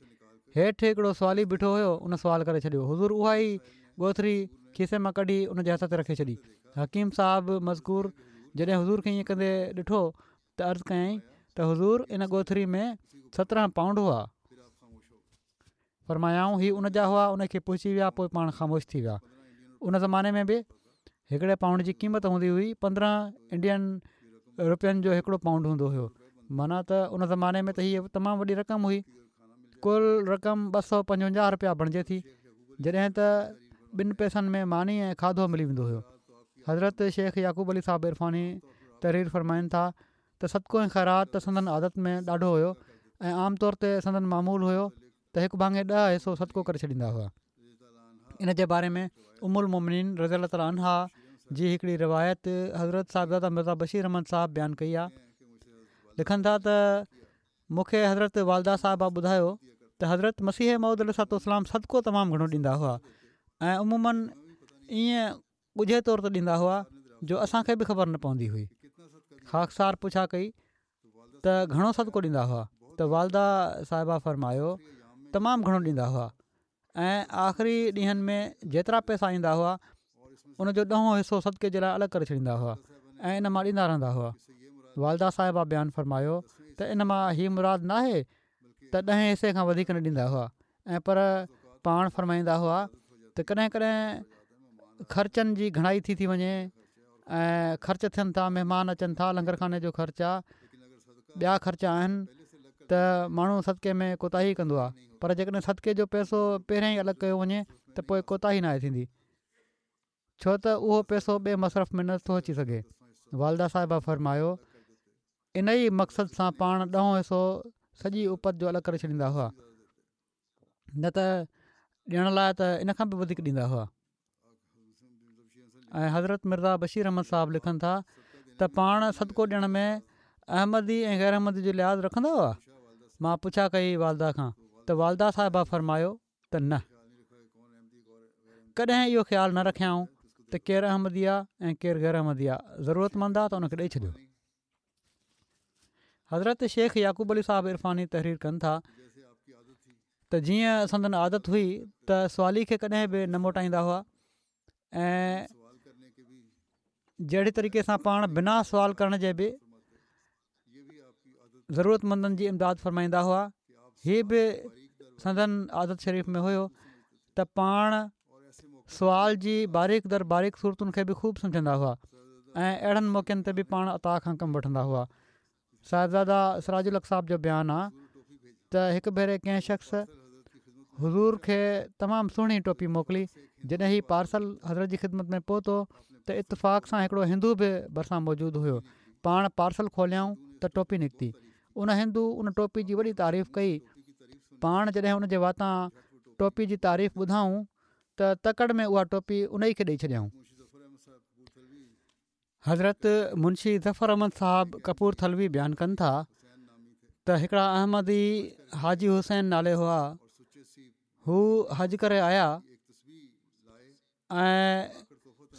هيٺ هڪڙو سوالي بيٺو هيو ان سوال ڪري ڇڏيو. حضور اها ئي ڳوٿري کيسي مان ڪڍي ان جي هٿ تي رکي ڇڏي. حڪيم صاحب مذڪور جڏهن حضور کي ائين ڪندي ڏٺو ته عرض ڪيائين ته حضور ان ڳوٿري ۾ سترهن پائونڊ هئا. فرمايائون، هي ان جا هئا، ان کي پهچي ويا پوء پاڻ خاموش ٿي ويا. ان زماني ۾ به هڪڙي پائونڊ جي قيمت هوندي هئي پندرهن انڊين روپين جو هڪڙو پائونڊ هوندو هيو معنيٰ ته ان زماني ۾ ته هيء تمام وڏي رقم هئي. ڪل رقم ٻه سؤ پنجونجاهه روپيا بڻجي ٿي جڏهن ته ٻن پئسن ۾ ماني ۽ کاڌو ملي ويندو هيو. حضرت شيخ يعقوب علي صاحب عرفاني تحرير فرمائن ٿا ته صدقو ۽ خيرات ته سندن عادت ۾ ڏاڍو هيو ۽ عام طور تي سندن معمول هيو ته هڪ ڀاڱي ڏهه حصو صدقو ڪري ڇڏيندا هئا. ان جي باري ۾ ام المومنين رضي الله تعالٰي عنها جي هڪڙي روايت حضرت صاحبزاده مرزا بشير احمد صاحب بيان ڪئي آهي. لکن ٿا ته مون کي حضرت والده صاحبه ٻڌايو ته حضرت مسيح موعود عليه الصلوة والسلام صدقو تمام گهڻو ڏيندا هئا ۽ عموماً ائين ڳجهي طور تي ڏيندا هئا جو اسان کي به خبر نه پوندي هئي. خاڪسار پڇا ڪئي ته گهڻو صدقو ڏيندا هئا ته والده صاحبه فرمايو تمام گهڻو ڏيندا هئا ۽ آخري ڏينهن ۾ جيترا پئسا ايندا هئا ان جو ڏهون حصو صدقي جي لاء الڳ ڪري ڇڏيندا هئا ۽ ان مان ڏيندا رهندا هئا. والده صاحبه بيان فرمايو ته ان مان هي مراد ناهي ته ڏهين حصي کان وڌيڪ نه ڏيندا هئا ۽ پر پاڻ فرمائيندا هئا ته ڪڏهن ڪڏهن خرچن جي گهڻائي ٿي ٿي وڃي ۽ خرچ ٿين ٿا مهمان اچن ٿا لنگر خاني جو خرچ آ ٻيا خرچ آهن ته ته ماڻهو صدقي ۾ ڪوتاهي ڪندو آهي، پر جيڪڏهن صدقي جو پئسو پهريان ئي الڳ ڪيو وڃي ته پوء ڪوتاهي ناهي ٿيندي، ڇو ته اهو پئسو ٻئي مصرف ۾ نه ٿو اچي سگهي. والده صاحبه فرمايو، ان ئي مقصد سان پاڻ ڏهون حصو سڄي اپت جو الڳ ڪري ڇڏيندا هئا، نه ته ڏيڻ لاء ته ان کان به وڌيڪ ڏيندا هئا. ۽ حضرت مرزا بشير احمد صاحب لکن ٿا ته پاڻ صدقو ڏيڻ ۾ احمدي ۽ غير احمدي جو لحاظ رکندا هئا؟ مان پڇا ڪئي والده کان ته والده صاحبه فرمايو ته نه، ڪڏهن اهو خيال نه رکيائون ته ڪير احمدي آ ۽ ڪير غير احمدي آ، ضرورتمند آ ته ان کي ڏئي ڇڏيو. حضرت شيخ يعقوب علي صاحب عرفاني تحرير ڪن ٿا ته جيئن سندن عادت هئي ته سوالي کي ڪڏهن به نه موٽائيندا هئا ۽ جهڙي طريقي سان پاڻ بنا سوال ڪرڻ جي به ضرورتمندن جي امداد فرمائيندا هئا، هي به سندن عادت شريف ۾ هيو ته پاڻ سوال جي باريڪ در باريڪ صورتن کي به خوب سمجهندا هئا ۽ اهڙن موقعن تي به پاڻ عطا کان ڪم وٺندا هئا. صاحبزاده سراج الحق صاحب جو بيان آ ته هڪ ڀيري ڪنهن شخص حضور کي تمام سهڻي ٽوپي موڪلي، جڏهن هي پارسل حضرت جي خدمت ۾ پهتو ته اتفاق سان هڪڙو هندو به ڀرسان موجود هيو، پاڻ پارسل کوليائون ته ٽوپي نڪتي، ان هندو ان ٽوپي جي وڏي تعريف ڪئي، پاڻ جڏهن ان جي واتان ٽوپي جي تعريف ٻڌائون ته تڪڙ ۾ اها ٽوپي انهي کي ڏئي ڇڏيائون. حضرت منشي ظفر احمد صاحب ڪپورٿلوي بيان ڪن ٿا ته هڪڙا احمدي حاجي حسين نالي هئا، هو حج ڪري آيا ۽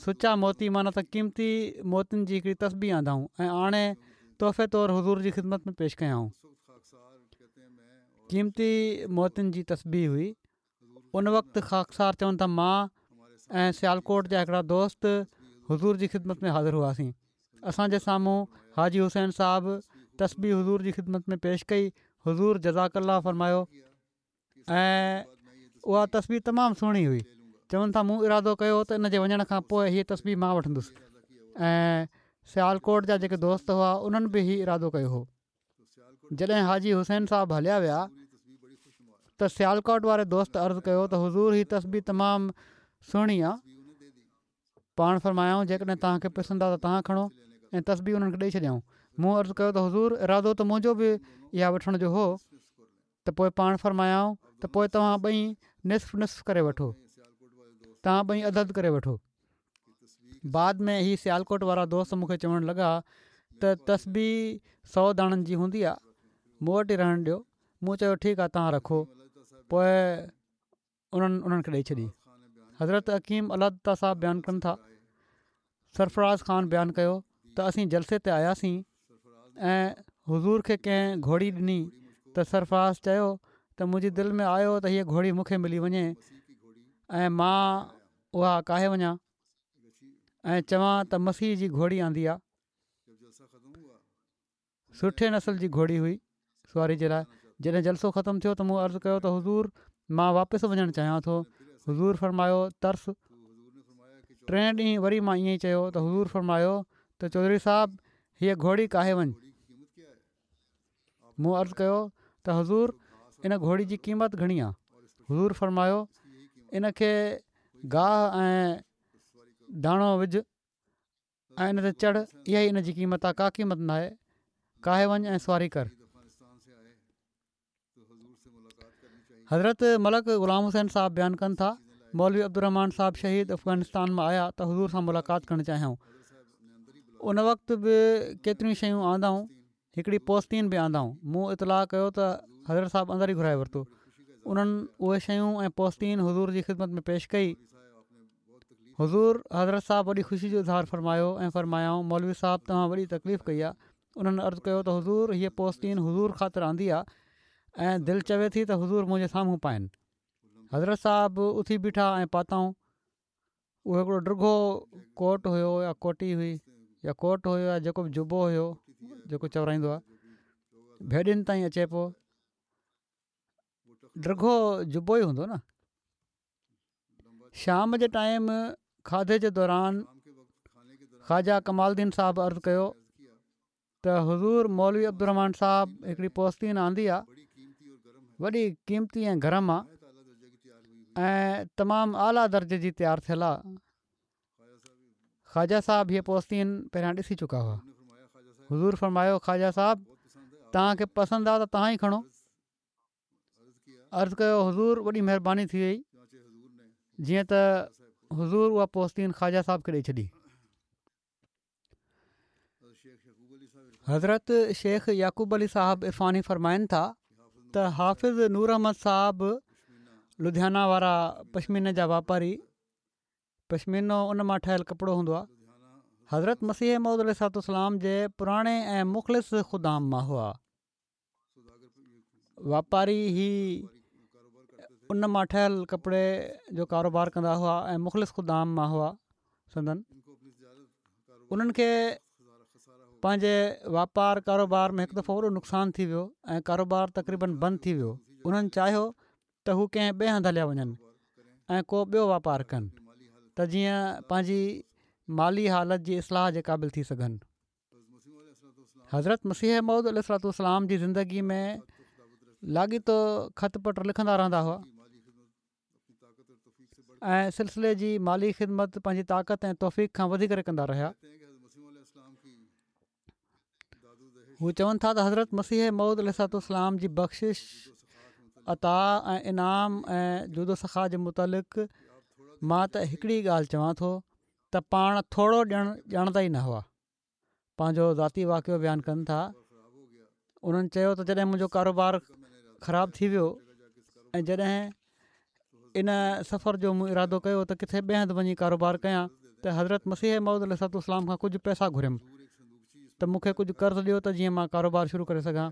سچا موتي معنيٰ ته قيمتي موتين جي هڪڙي تسبيح آندائون ۽ آڻي تحفي طور حضور جي خدمت ۾ پيش ڪيائون. قيمتي موتين جي تسبيح هئي. ان وقت خاڪسار چون ٿا مان ۽ سيالڪوٽ جا هڪڙا دوست حضور جي خدمت ۾ حاضر هئاسين اسان جي سامهون حاجي حسين صاحب تسبيح حضور جي خدمت ۾ پيش ڪئي حضور جزاڪ الله فرمايو ۽ اها تسبيح تمام سهڻي هئي چون ٿا مون ارادو ڪيو ته ان جي وڃڻ کان پوء هيء تسبيح مان وٺندس ۽ سيالڪوٽ جا جيڪي دوست هئا انهن به هي ارادو ڪيو هو جڏهن حاجي حسين صاحب هليا ويا ته سيالڪوٽ واري دوست عرض ڪيو ته حضور هي تسبيح تمام سهڻي آ پاڻ فرمايائون جيڪڏهن توهان کي پسند آ ته توهان کڻو ۽ تسبيح انهن کي ڏئي ڇڏيائون مون عرض ڪيو ته حضور ارادو ته منهنجو به اها وٺڻ جو هو ته پوء پاڻ فرمايائون ته پوء توهان ٻئي نصف نصف ڪري وٺو توهان ٻئي اڌ اڌ ڪري وٺو بعد ۾ هي سيالڪوٽ وارا دوست مون کي چوڻ لڳا ته تسبيح سؤ داڻن جي هوندي آ مون وٽ ئي رهڻ ڏيو مون چيو ٺيڪ آ توهان رکو پوء انهن انهن کي ڏئي ڇڏي حضرت حڪيم الله دتا صاحب بيان ڪن ٿا سرفراز خان بيان ڪيو ته اسين جلسي تي آياسين ۽ حضور کي ڪنهن گهوڙي ڏني ته سرفراز چيو ته منهنجي دل ۾ آيو ته هيء گهوڙي مون کي ملي وڃي ۽ مان اها ڪاهي وڃان ۽ چوان ته مسيح جي گهوڙي آندي آ. سٺي نسل جي گهوڙي هئي سواري جي لاء. جڏهن جلسو ختم ٿيو ته مون عرض ڪيو ته حضور مان واپس وڃڻ چاهيان ٿو. حضور فرمايو ترس. ٽئين ڏينهن وري مان ائين ئي چيو ته حضور فرمايو ته چوڌري صاحب هيء گهوڙي ڪاهي وڃ. مون عرض ڪيو ته حضور ان گهوڙي جي قيمت گهڻي آ؟ حضور فرمايو ان کي گاهه ۽ داڻو وجهه ۽ ان تي چڙهه اها ئي ان جي قيمت آ ڪا قيمت ناهي ڪاهي وڃ ۽ سواري ڪر. حضرت ملڪ غلام حسين صاحب بيان ڪن ٿا مولوي عبدالرحمان صاحب شهيد افغانستان مان آيا ته حضور سان ملاقات ڪرڻ چاهيائون ان وقت به ڪيتريون شيون آندائون هڪڙي پوستين به آندائون مون اطلاع ڪيو ته حضرت صاحب اندر ئي گهرائي ورتو انهن اهي شيون ۽ پوستين حضور جي خدمت ۾ پيش ڪئي حضور حضرت صاحب وڏي خوشي جو اظهار فرمايو ۽ فرمايائون مولوي صاحب توهان وڏي تڪليف ڪئي آهي انهن عرض ڪيو ته حضور هيء پوستين حضور خاطر آندي آ ۽ دل چوي ٿي ته حضور منهنجي سامهون پائن. حضرت صاحب اٿي بيٺا ۽ پاتائون. اهو هڪڙو ڊگهو ڪوٽ هيو يا ڪوٽي هئي يا ڪوٽ هيو يا جيڪو به جبو هيو جيڪو چورائيندو آ ڀيڏين تائين اچي پيو. ڊگهو جبو ئي هوندو نه. شام جي ٽائيم کاڌي جي دوران خواجه ڪمال الدين صاحب عرض ڪيو ته حضور مولوي عبدالرحمان صاحب هڪڙي پوستين آندي آ وڏي قيمتي ۽ گرم آ ۽ تمام اعليٰ درجي جي تيار ٿيل آ. خواجه صاحب هيءَ پوستين پهريان ڏسي چڪا هئا. حضور فرمايو خواجه صاحب توهان کي پسند آ ته توهان ئي کڻو. عرض ڪيو حضور وڏي مهرباني ٿي وئي. جيئن ته حضور اها پوستين خواجه صاحب کي ڏئي ڇڏي. حضرت شيخ يعقوب علي صاحب عرفاني فرمائن ٿا ته حافظ نور احمد صاحب لڌيانا وارا پشميني جا واپاري، پشمينو ان مان ٺهيل ڪپڙو هوندو آهي، حضرت مسيح موعود عليه الصلوة والسلام جي پراڻي ۽ مخلص خدام مان هئا. واپاري هي ان مان ٺهيل ڪپڙي جو ڪاروبار ڪندا هئا ۽ مخلص خدام مان هئا. سندن انهن کي پنهنجي واپار ڪاروبار ۾ هڪ دفعو وڏو نقصان ٿي ويو ۽ ڪاروبار تقريبن بند ٿي ويو. انهن چاهيو ته هو ڪنهن ٻئي هنڌ هليا وڃن ۽ ڪو ٻيو واپار ڪن ته جيئن پنهنجي مالي حالت جي اصلاح جي قابل ٿي سگهن. حضرت مسيح موعود عليه الصلوة والسلام جي زندگي ۾ لاڳيتو خط پٽ لکندا رهندا هئا ۽ سلسلي جي مالي خدمت پنهنجي طاقت ۽ توفيق کان وڌي ڪري ڪندا رهيا. هو چون ٿا ته حضرت مسيح موعود عليه الصلوة والسلام جي بخشش، عطا ۽ انعام ۽ جود و سخا جي متعلق مان ته هڪڙي ڳالهه چوان ٿو ته پاڻ ٿورو ڏيڻ ڄاڻندا ئي نه هئا. پنهنجو ذاتي واقعو بيان ڪن ٿا. انهن چيو ته جڏهن منهنجو ڪاروبار خراب ٿي ويو ۽ جڏهن ان سفر جو مون ارادو ڪيو ته ڪٿي ٻئي هنڌ وڃي ڪاروبار ڪيان ته حضرت مسيح موعود عليه الصلوة والسلام کان ڪجهه پئسا گهريم ته مون کي ڪجهه قرض ڏيو ته جيئن مان ڪاروبار شروع ڪري سگهان.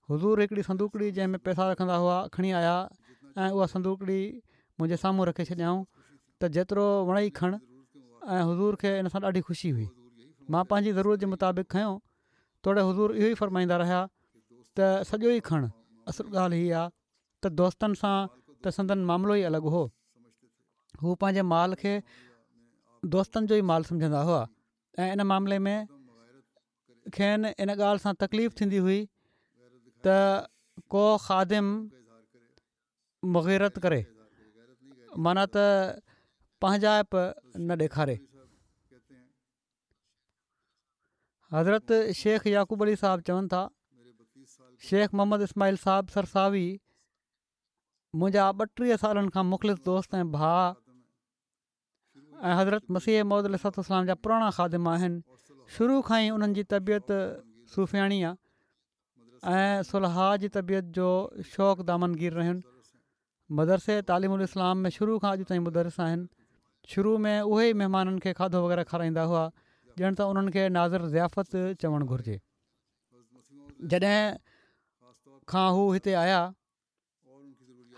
حضور هڪڙي صندوقڙي جنهن ۾ پئسا رکندا هئا کڻي آيا ۽ اها صندوقڙي منهنجي سامهون رکي ڇڏيائون ته جيترو وڻئي کڻ، ۽ حضور کي ان سان ڏاڍي خوشي هئي. مان پنهنجي ضرورت جي مطابق کنيو. توڙي حضور اهو ئي فرمائيندا رهيا ته سڄو ئي کڻ. اصل ڳالهه هي آ ته دوستن سان ته سندن معاملو ئي الڳ هو. هو پنهنجي مال کي دوستن جو ئي مال سمجهندا هئا ۽ ان معاملي ۾ کين ان ڳالهه سان تڪليف ٿيندي هئي ته ڪو خادم مغيرت ڪري، معنيٰ ته پنهنجائپ نه ڏيکاري. حضرت شيخ يعقوب علي صاحب چون ٿا شيخ محمد اسماعيل صاحب سرساوي منهنجا ٻٽيهه سالن کان مخلص دوست ۽ ڀاء ۽ حضرت مسيح موعود عليه الصلوة والسلام جا پراڻا خادم آهن. شروع کان ئي انهن جي طبيعت صوفياڻي آهي ۽ صلحاء جي طبيعت جو شوق دامنگير رهين. مدرسي تعليم الاسلام ۾ شروع کان اڄ تائين مدرس آهن. شروع ۾ اهي ئي مهمانن کي کاڌو وغيره کارائيندا هئا، ڄڻ ته انهن کي ناظر ضيافت چوڻ گهرجي. جڏهن کان هو هتي آيا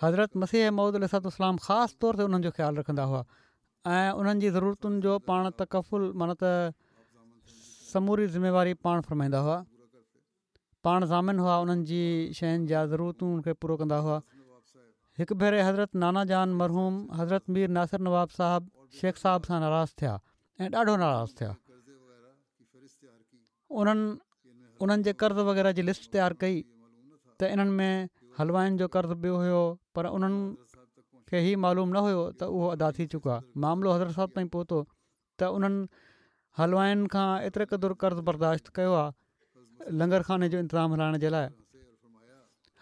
حضرت مسيح موعود عليه الصلوة والسلام خاص طور تي انهن جو خيال رکندا هئا ۽ انهن جي ضرورتن جو پاڻ تڪفل معنيٰ ته سموري ذميواري پاڻ فرمائيندا هئا. پاڻ ضامن هئا انهن جي شين جا ضرورتون کي پورو ڪندا هئا. هڪ ڀيري حضرت نانا جان مرحوم حضرت مير ناصر نواب صاحب شيخ صاحب سان ناراض ٿيا ۽ ڏاڍو ناراض ٿيا. انهن انهن جي قرض وغيره جي لسٽ تيار ڪئي ته انهن ۾ حلوائن جو قرض به هيو، پر انهن کي هي معلوم نه هيو ته اهو ادا ٿي چڪو آهي. معاملو حضرت صاحب تائين پهتو ته انهن حلوائن کان ايتري قدر قرض برداشت ڪيو آهي لنگر خاني جو انتظام هلائڻ جي لاء.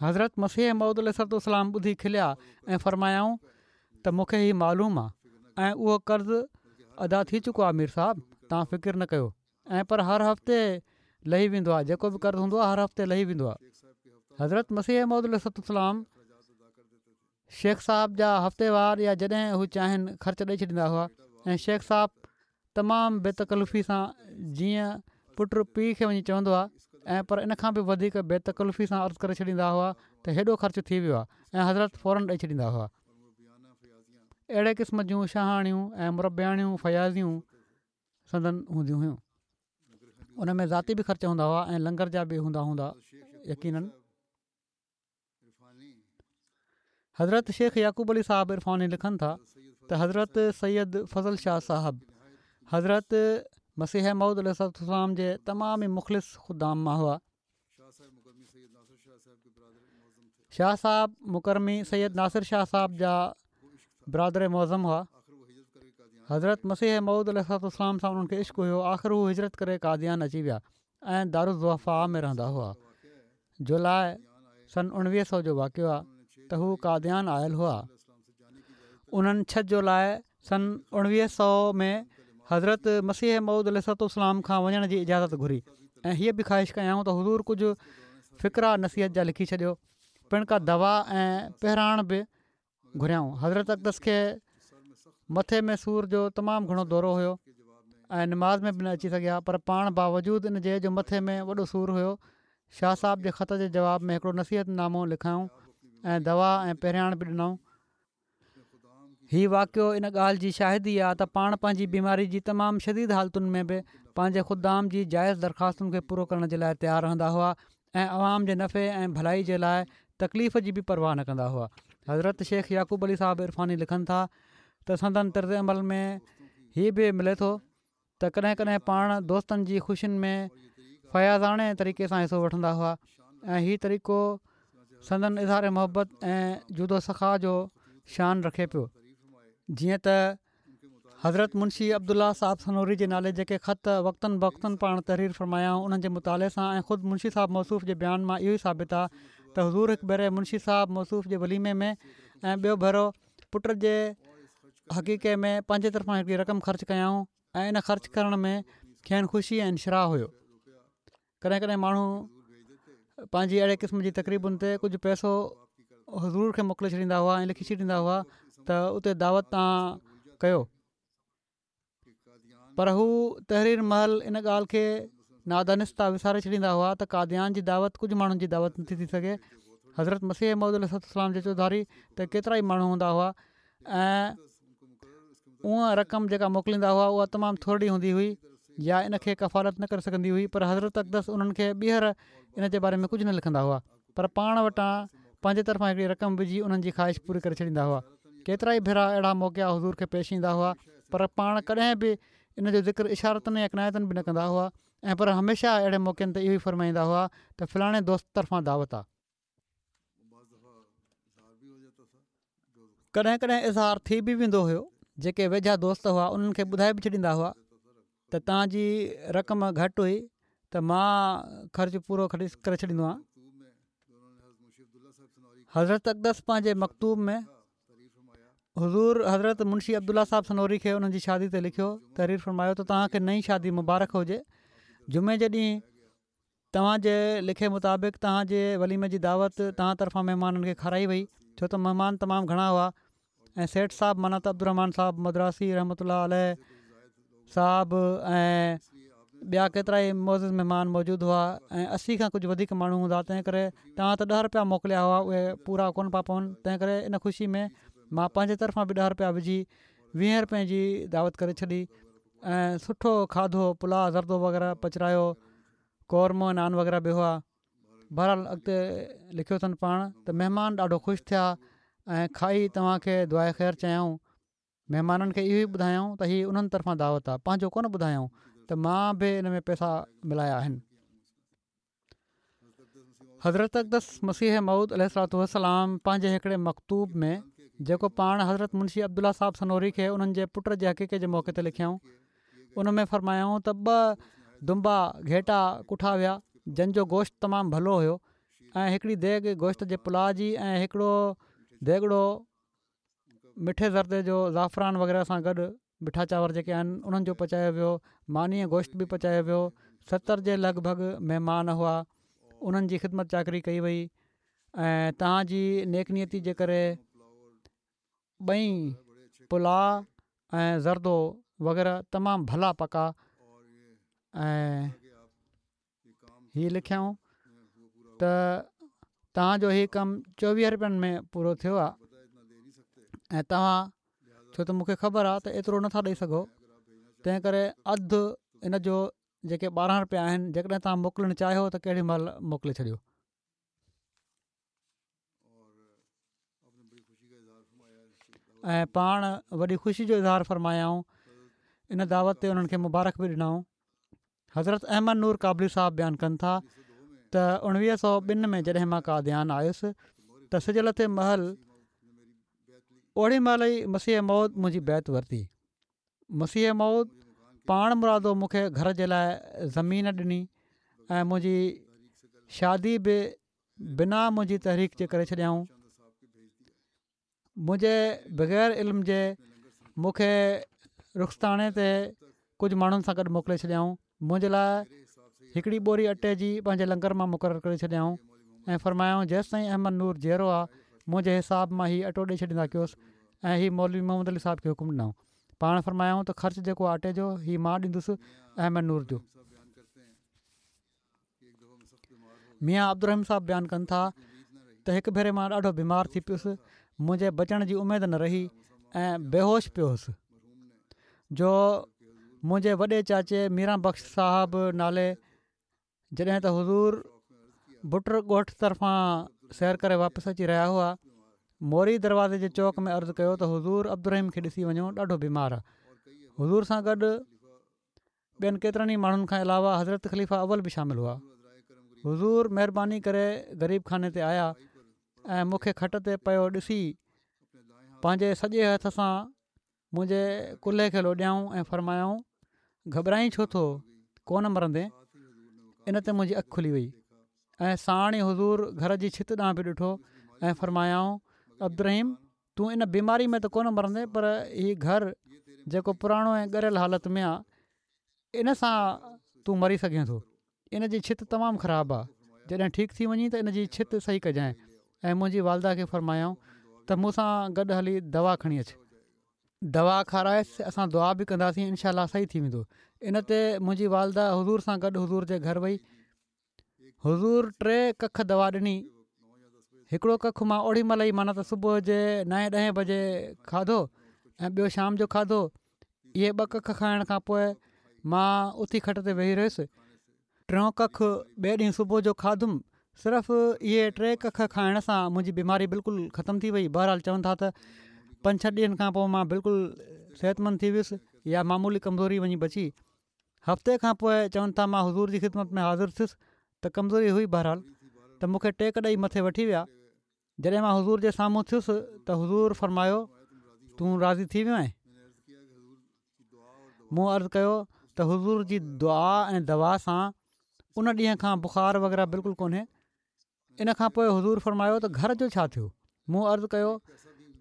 حضرت مسيح موعود عليه الصلوة والسلام ٻڌي کليا ۽ فرمايائون ته مون کي هي معلوم آهي ۽ اهو قرض ادا ٿي چڪو آهي مير صاحب توهان فڪر نه ڪيو، ۽ پر هر هفتي لهي ويندو آهي، جيڪو به قرض هوندو آهي هر هفتي لهي ويندو آهي. حضرت مسيح موعود عليه الصلوة والسلام شيخ صاحب جا هفتيوار يا جڏهن هو چاهين خرچ ڏئي ڇڏيندا هئا ۽ شيخ صاحب تمام بي تڪلفي سان جيئن پٽ پيء کي وڃي چوندو آهي ۽ پر ان کان به وڌيڪ بي تڪلفي سان عرض ڪري ڇڏيندا هئا ته هيڏو خرچ ٿي ويو آهي ۽ حضرت فورن ڏئي ڇڏيندا هئا. اهڙي قسم جون شاهاڻيون ۽ مربياڻيون فياضيون سندن هونديون هيون. ان ۾ ذاتي به خرچ هوندا هئا ۽ لنگر جا به هوندا هوندا يقينن. حضرت شيخ يعقوب علي صاحب عرفاني لکن ٿا ته حضرت سيد فضل شاهه صاحب حضرت مسيح موعود عليه الصلوة والسلام جي تمام ئي مخلص خدام مان هئا. شاهه صاحب مڪرمي سيد ناصر شاهه صاحب جا برادر معظم هئا. حضرت مسيح موعود عليه الصلوة والسلام سان انهن کي عشق هيو. آخر هو هجرت ڪري قاديان اچي ويا ۽ دارالضعفاء ۾ رهندا هئا. جولاء سن اڻويهه سؤ جو واقعو آهي ته هو قاديان آيل هئا. انهن ڇهه جولاء سن اڻويهه سؤ ۾ حضرت مسيح موعود عليه الصلوة والسلام کان وڃڻ جي اجازت گهري ۽ هيء به خواهش ڪيائون ته حضور ڪجهه فقرا نصيحت جا لکي ڇڏيو، پڻ ڪا دوا ۽ پهراڻ به گهريائون. حضرت اقدس کي مٿي ۾ سور جو تمام گهڻو دورو هيو ۽ نماز ۾ به نه اچي سگهيا، پر پاڻ باوجود ان جي جو مٿي ۾ وڏو سور هيو، شاهه صاحب جي خط جي جواب ۾ هڪڙو نصيحت نامو لکيائون ۽ دوا ۽ پهرياڻ به ڏنائون. هي واقعو ان ڳالهه جي شاهدي آ ته پاڻ پنهنجي بيماري جي تمام شديد حالتن ۾ به پنهنجي خدام جي جائز درخواستن کي پورو ڪرڻ جي لاء تيار رهندا هئا ۽ عوام جي نفعي ۽ ڀلائي جي لاء تڪليف جي به پرواهه نه ڪندا هئا. حضرت شيخ يعقوب علي صاحب عرفاني لکن ٿا ته سندن طرز عمل ۾ هي به ملي ٿو ته ڪڏهن ڪڏهن پاڻ دوستن جي خوشين ۾ فياضاڻي طريقي سان حصو وٺندا هئا ۽ هي طريقو سندن اظهار محبت ۽ جود و سخا جو شان رکي پيو. جيئن ته حضرت منشي عبدالله صاحب سنوري جي نالي جيڪي خط وقتاً فوقتاً پاڻ تحرير فرمايائون انهن جي مطالعي سان ۽ خود منشي صاحب موصوف جي بيان مان اهو ئي ثابت آهي ته حضور هڪ ڀيري منشي صاحب موصوف جي وليمي ۾ ۽ ٻيو ڀيرو پٽ جي عقيقي ۾ پنهنجي طرفان هڪڙي رقم خرچ ڪيائون ۽ ان خرچ ڪرڻ ۾ کين خوشي ۽ انشراح هيو. ڪڏهن ڪڏهن ماڻهو پنهنجي اهڙي قسم جي تقريبن تي ڪجهه پئسو حضور کي موڪلي ڇڏيندا هئا ۽ لکي ڇڏيندا هئا ته اتي دعوت تان ڪيو، پر هو تحرير مهل ان ڳالهه کي نادانسته وساري ڇڏيندا هئا ته قاديان جي دعوت ڪجهه ماڻهن جي دعوت نٿي ٿي سگهي. حضرت مسيح موعود عليه الصلوة والسلام جي چوڌاري ته ڪيترائي ماڻهو هوندا هئا ۽ اها رقم جيڪا موڪليندا هئا اها تمام ٿورڙي هوندي هئي يا ان کي ڪفالت نه ڪري سگهندي هئي، پر حضرت اقدس انهن کي ٻيهر ان جي باري ۾ ڪجهه نه لکندا هئا پر پاڻ وٽان پنهنجي طرفان هڪڙي رقم وجهي انهن جي خواهش پوري ڪري ڇڏيندا هئا. ڪيترائي ڀيرا اهڙا موقعا حضور کي پيش ايندا هئا پر پاڻ ڪڏهن به ان جو ذڪر اشارتاً يا ڪنايتاً به نه ڪندا هئا ۽ پر هميشه اهڙي موقعن تي اهو ئي فرمائيندا هئا ته فلاڻي دوست طرفان دعوت آ. ڪڏهن ڪڏهن اظهار ٿي به ويندو هيو، جيڪي ويجها دوست هئا انهن کي ٻڌائي به ڇڏيندا هئا ته توهان جي رقم گهٽ هئي ته مان خرچ پورو ڪري ڇڏيندو آهيان. حضرت اقدس پنهنجي مڪتوب ۾ حضور حضرت منشي عبدالله صاحب سنوري کي انهن جي شادي تي لکيو تحرير فرمايو ته توهان کي نئين شادي مبارڪ هجي جمعي جي ڏينهن توهان جي لکي مطابق توهان جي وليمي جي دعوت توهان طرفان مهمانن کي کارائي وئي ڇو ته مهمان تمام گهڻا هئا ۽ سيٺ صاحب معنيٰ ته عبدالرحمان صاحب مدراسي رحمة الله عليه صاحب ۽ ٻيا ڪيترائي معزز مهمان موجود هئا ۽ اسي کان ڪجهه وڌيڪ ماڻهو هوندا تنهن ڪري توهان ته ڏهه رپيا موڪليا هئا اهي پورا ڪونه پيا پون تنهن ڪري ان خوشي ۾ مان پنهنجي طرفان به ڏهه رپيا وجهي ويهين رپين جي دعوت ڪري ڇڏي ۽ سٺو کاڌو پلاء زردو وغيره پچرايو قورمو ۽ نان وغيره به هئا. بهرحال اڳتي لکيو اٿن پاڻ ته مهمان ڏاڍو خوش ٿيا ۽ کائي توهان کي دعاء خير چيائون. مهمانن کي اهو ئي ٻڌايائون ته هي انهن طرفان دعوت آ، پنهنجو ڪونه ٻڌايائون ته مان به ان ۾ پئسا ملايا آهن. حضرت اقدس مسيح موعود عليه الصلوة والسلام پنهنجي هڪڙي مڪتوب ۾ جيڪو پاڻ حضرت منشي عبدالله صاحب سنوري کي انهن جي پٽ جي عقيقي جي موقعي تي لکيائون ان ۾ فرمايائون ته ٻه دنبا گهيٽا ڪٺا ويا جن جو گوشت تمام ڀلو هيو ۽ هڪڙي ديڳ گوشت جي پلاء جي ۽ هڪڙو ديڳڙو مٺي زردي جو زعفران وغيره سان گڏ مٺا چانور جيڪي آهن انهن جو پچايو ويو ماني ۽ گوشت به پچايو ويو ستر جي لڳ ڀڳ مهمان هئا انهن جي خدمت چاڪري ڪئي وئي ۽ توهان جي نيڪ نيتي جي ڪري ٻئي پلاء ۽ زردو وغيره تمام ڀلا پڪا ۽ هي لکيائون ته توهان جو هي ڪم چوويهه رپين ۾ پورو ٿيو آهي ۽ توهان ڇو ته مونکي خبر آهي ته ايترو نٿا ڏئي سگهو تنهن ڪري اڌ ان جو جيڪي ٻارهن رپيا آهن جيڪڏهن توهان موڪلڻ چاهيو ته ڪهڙي مهل موڪلي ڇڏيو. ۽ پاڻ وڏي خوشي جو اظهار فرمايائون ان دعوت تي انهن کي مبارڪ به ڏنائون حضرت احمد نور ڪابلي صاحب بيان ڪن ٿا ته اڻويهه سو ٻن ۾ جڏهن مان قاديان آيس ته سج لٿي مهل اوڙي مهل ئي مسيح موعود منهنجي بيعت ورتي. مسيح موعود پاڻ مرادو مون کي گهر جي لاء زمين ڏني ۽ منهنجي شادي به بنا منهنجي تحريڪ جي ڪري ڇڏيائون. منهنجي بغير علم جي مون کي رخستاڻي تي ڪجهه ماڻهن سان گڏ موڪلي ڇڏيائون. منهنجي لاء هڪڙي ٻوري اٽي جي پنهنجي لنگر مان مقرر ڪري ڇڏيائون ۽ فرمايائون جيستائين احمد نور جيئرو آ منهنجي حساب مان هي اٽو ڏئي ڇڏيندا ڪيوس ۽ هي مولوي محمد علي صاحب کي حڪم ڏنائون. پاڻ فرمايائون ته خرچ جيڪو آٽي جو هي مان ڏيندس احمد نور جو. ميان عبدالرحيم صاحب بيان ڪن ٿا ته هڪ ڀيري مان ڏاڍو بيمار ٿي پيس، منهنجي بچڻ جي اميد نه رهي ۽ بيهوش پيو هوس جو منهنجي وڏي چاچي ميران بخش صاحب نالي جڏهن ته حضور بٽر ڳوٺ طرفان سير ڪري واپس اچي رهيا هئا، موري دروازي جي چوڪ ۾ عرض ڪيو ته حضور عبدالرحيم کي ڏسي وڃو ڏاڍو بيمار آ. حضور سان گڏ ٻين ڪيترن ئي ماڻهن کان علاوه حضرت خليفه اول به شامل هئا. حضور مهرباني ڪري غريب خاني تي آيا ۽ مون کي کٽ تي پيو ڏسي پنهنجي سڄي هٿ سان منهنجي ڪلهي کي لوڏيائون ۽ فرمايائون گهٻرائين ڇو ٿو ڪونه مرندين. ان تي منهنجي اک کلي وئي ۽ ساڻ ئي حضور گهر جي ڇت ڏانهن به ڏٺو ۽ فرمايائون عبدالرحيم تون ان بيماري ۾ ته ڪونه مرندين پر هي گهر جيڪو پراڻو ۽ ڳريل حالت ۾ آ ان سان تون مري سگهين ٿو. ان جي ڇت تمام خراب آ جڏهن ٺيڪ ٿي وڃين ته ان جي ڇت صحيح ڪجانء ۽ منهنجي والده کي فرمايائون ته مون سان گڏ هلي دوا کڻي اچ. دوا کارائيس اسان دعا به ڪنداسين انشاء الله صحيح ٿي ويندو. ان تي منهنجي والده حضور سان گڏ حضور جي گهر وئي. حضور ٽي ڪک دوا ڏني. هڪڙو ڪک مان اوڙي مهل ئي معنيٰ ته صبح جي نائين ڏهين بجي کاڌو ۽ ٻيو شام جو کاڌو. اهي ٻه ڪک کائڻ کان پوء مان اٿي کٽ تي ويهي رهيس. ٽيون ڪک ٻئي ڏينهن صبح جو کاڌم. صرف اهي ٽي ڪک کائڻ سان منهنجي بيماري بلڪل ختم ٿي وئي. بهرحال چون ٿا ته پنج ڇهه ڏينهن کان پوء مان بلڪل صحتمند ٿي ويس يا معمولي ڪمزوري وڃي بچي. هفتي کان پوء چون ٿا مان حضور جي خدمت ۾ حاضر ٿيس ته ڪمزوري هئي بهرحال ته مون کي ٽيڪ ڏئي مٿي وٺي ويا. جڏهن مان حضور جي سامهون ٿيس ته حضور فرمايو تون راضي ٿي ويو آهين؟ مون عرض ڪيو ته حضور جي دعا ۽ دوا سان ان ڏينهن کان بخار وغيره بلڪل ڪونهي. ان کان پوء حضور فرمايو ته گهر جو ڇا ٿيو؟ مون عرض ڪيو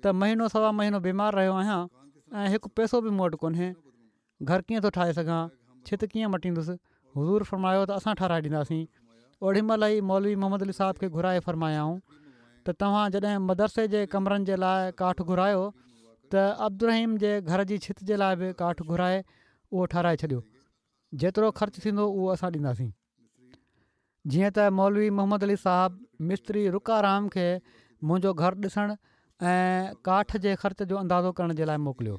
ته مهينو سوا مهينو بيمار رهيو آهيان ۽ هڪ پئسو به مون وٽ ڪونهي. گهر ڪيئن ٿو ٺاهي سگهان، ڇت ڪيئن مٽيندس، حضور فرمايو ته اسان ٺهرائي ڏينداسين. اوڏي مهل ئي مولوي محمد علي صاحب کي گهرائي فرمايائون ته توهان جڏهن مدرسي جي ڪمرن جي لاء ڪاٺ گهرايو ته عبدالرحيم جي گهر جي ڇت جي لاء به ڪاٺ گهرائي اهو ٺهرائي ڇڏيو، جيترو خرچ ٿيندو اهو اسان ڏينداسين. جيئن ته مولوي محمد علي صاحب مستري رڪا رام کي منهنجو گهر ڏسڻ ۽ ڪاٺ جي خرچ جو اندازو ڪرڻ جي لاء موڪليو.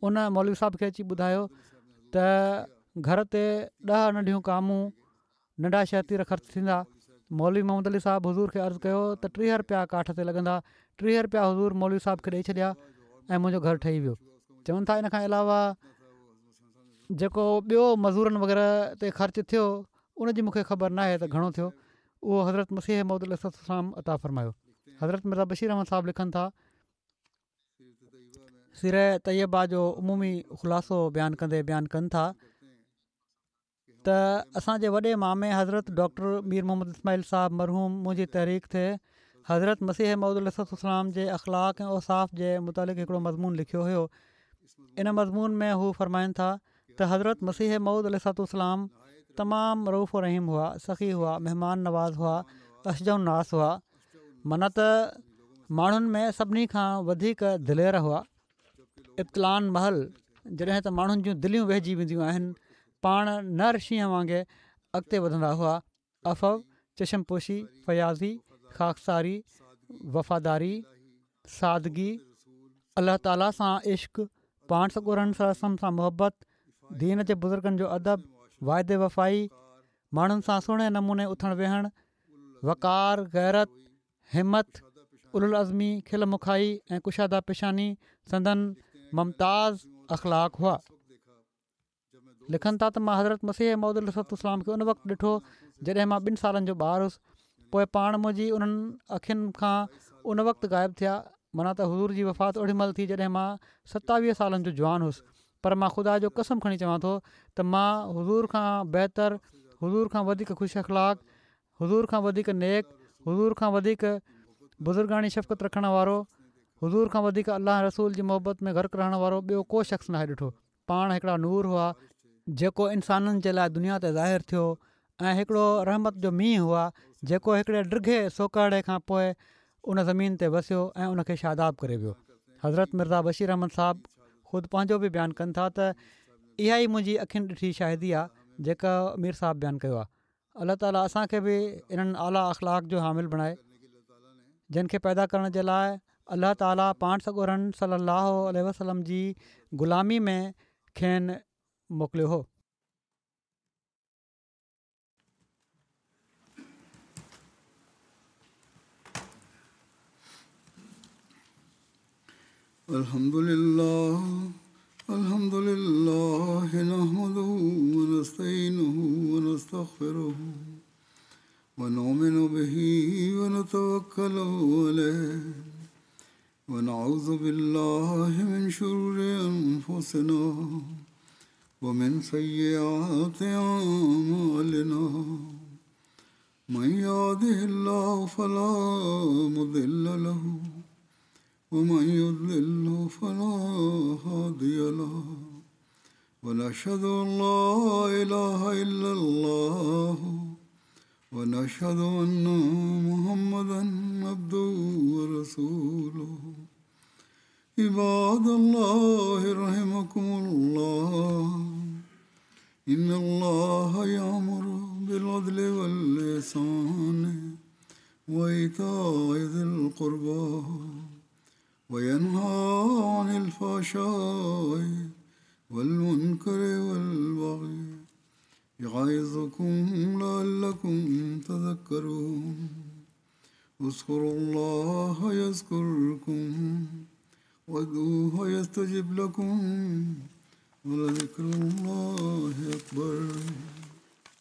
ان مولوي صاحب کي اچي ٻڌايو ته گهر تي ڏهه ننڍيون ڪامون، ننڍا شهتير خرچ ٿيندا. مولوي محمد علي صاحب حضور کي عرض ڪيو ته ٽيهه رپيا ڪاٺ تي لڳندا. ٽيهه رپيا حضور مولوي صاحب کي ڏئي ڇڏيا ۽ منهنجو گهر ٺهي ويو. چون ٿا ان کان علاوه جيڪو ٻيو مزورن وغيره تي خرچ ٿيو ان جي مون کي خبر ناهي ته گهڻو ٿيو اهو حضرت مسيح موعود عليه الصلوة والسلام عطا فرمايو. حضرت مرزا بشير احمد صاحب لکن ٿا، سيره طيبه جو عمومي خلاصو بيان ڪندي بيان ڪن ٿا ته اسان جي وڏي مامي حضرت ڊاڪٽر مير محمد اسماعيل صاحب مرحوم منهنجي تحريڪ تي حضرت مسيح موعود عليه الصلوة والسلام جي اخلاق ۽ اوصاف جي متعلق هڪڙو مضمون لکيو هيو ان مضمون ۾ هو فرمائن ٿا ته حضرت مسيح موعود عليه الصلوة والسلام تمام رئوف و رحيم هئا، سخي هئا، مهمان نواز هئا، اشجع الناس هئا، معنيٰ ته ماڻهن ۾ سڀني کان وڌيڪ دلير هئا. ابتلائن مهل جڏهن ته ماڻهن جون دليون ويهجي وينديون آهن، پاڻ نر شينهن وانگي اڳتي وڌندا هئا. عفو، چشم پوشي، فياضي، خاڪساري، وفاداري، سادگي، الله تعاليٰ سان عشق، پاڻ سڳورن صلي الله عليه وسلم سان محبت، دين جي بزرگن جو ادب، واعدي وفائي، ماڻهن سان سهڻي نموني اٿڻ ويهڻ، وقار، غيرت، همت، اولوالعزمي، کل مکائي ۽ ڪشاده پيشاني سندن ممتاز اخلاق هئا. لکن ٿا ته مان حضرت مسيح موعود عليه الصلوة والسلام کي ان وقت ڏٺو جڏهن مان ٻن سالن جو ٻار هوس پوء پاڻ منهنجي انهن اکين کان ان وقت غائب ٿيا، معنيٰ ته حضور جي وفات اوڏي مهل ٿي جڏهن مان ستاويهه سالن جو جوان هوس، پر مان خدا جو قسم کڻي چوان ٿو ته مان حضور کان بهتر، حضور کان وڌيڪ خوش اخلاق، حضور کان وڌيڪ نيڪ، حضور کان وڌيڪ بزرگاڻي شفقت رکڻ وارو، حضور کان وڌيڪ الله ۽ رسول جي محبت ۾ غرق رهڻ وارو ٻيو ڪو شخص ناهي ڏٺو. پاڻ هڪڙا نور هئا، جيڪو انسانن جي لاء دنيا تي ظاهر ٿيو ۽ هڪڙو رحمت جو مينهن هئا، جيڪو هڪڙي ڊگهي سوڪهڙي کان پوء ان زمين تي وسيو ۽ ان کي شاداب ڪري ويو. حضرت مرزا بشير احمد صاحب خود پنهنجو به بيان ڪن ٿا ته اها ئي منهنجي اکين ڏٺي شاهدي آهي جيڪا مير صاحب بيان ڪيو آهي. الله تعاليٰ اسان کي به انهن اعليٰ اخلاق جو حامل بڻائي، جن کي پيدا ڪرڻ جي لاء الله تعاليٰ پاڻ سڳورن صلي الله عليه وسلم جي غلامي ۾ کين موڪليو هو. الحمد لله الحمد لله نحمده ونستعينه ونستغفره ونؤمن به ونتوكل عليه ونعوذ بالله من شرور أنفسنا ومن سيئات أعمالنا من يهده الله فلا مضل له ومن يضلل فلا هادي له ونشهد أن لا إله إلا الله ونشهد أن محمدا عبده ورسوله. عباد الله رحمكم الله، إن الله يأمر بالعدل والإحسان وإيتاء ذي القربى وينهى عن الفحشاء والمنكر والبغي يعظكم لعلكم تذكرون. اذكروا الله يذكركم وادعوه يستجب لكم ولذكر الله أكبر.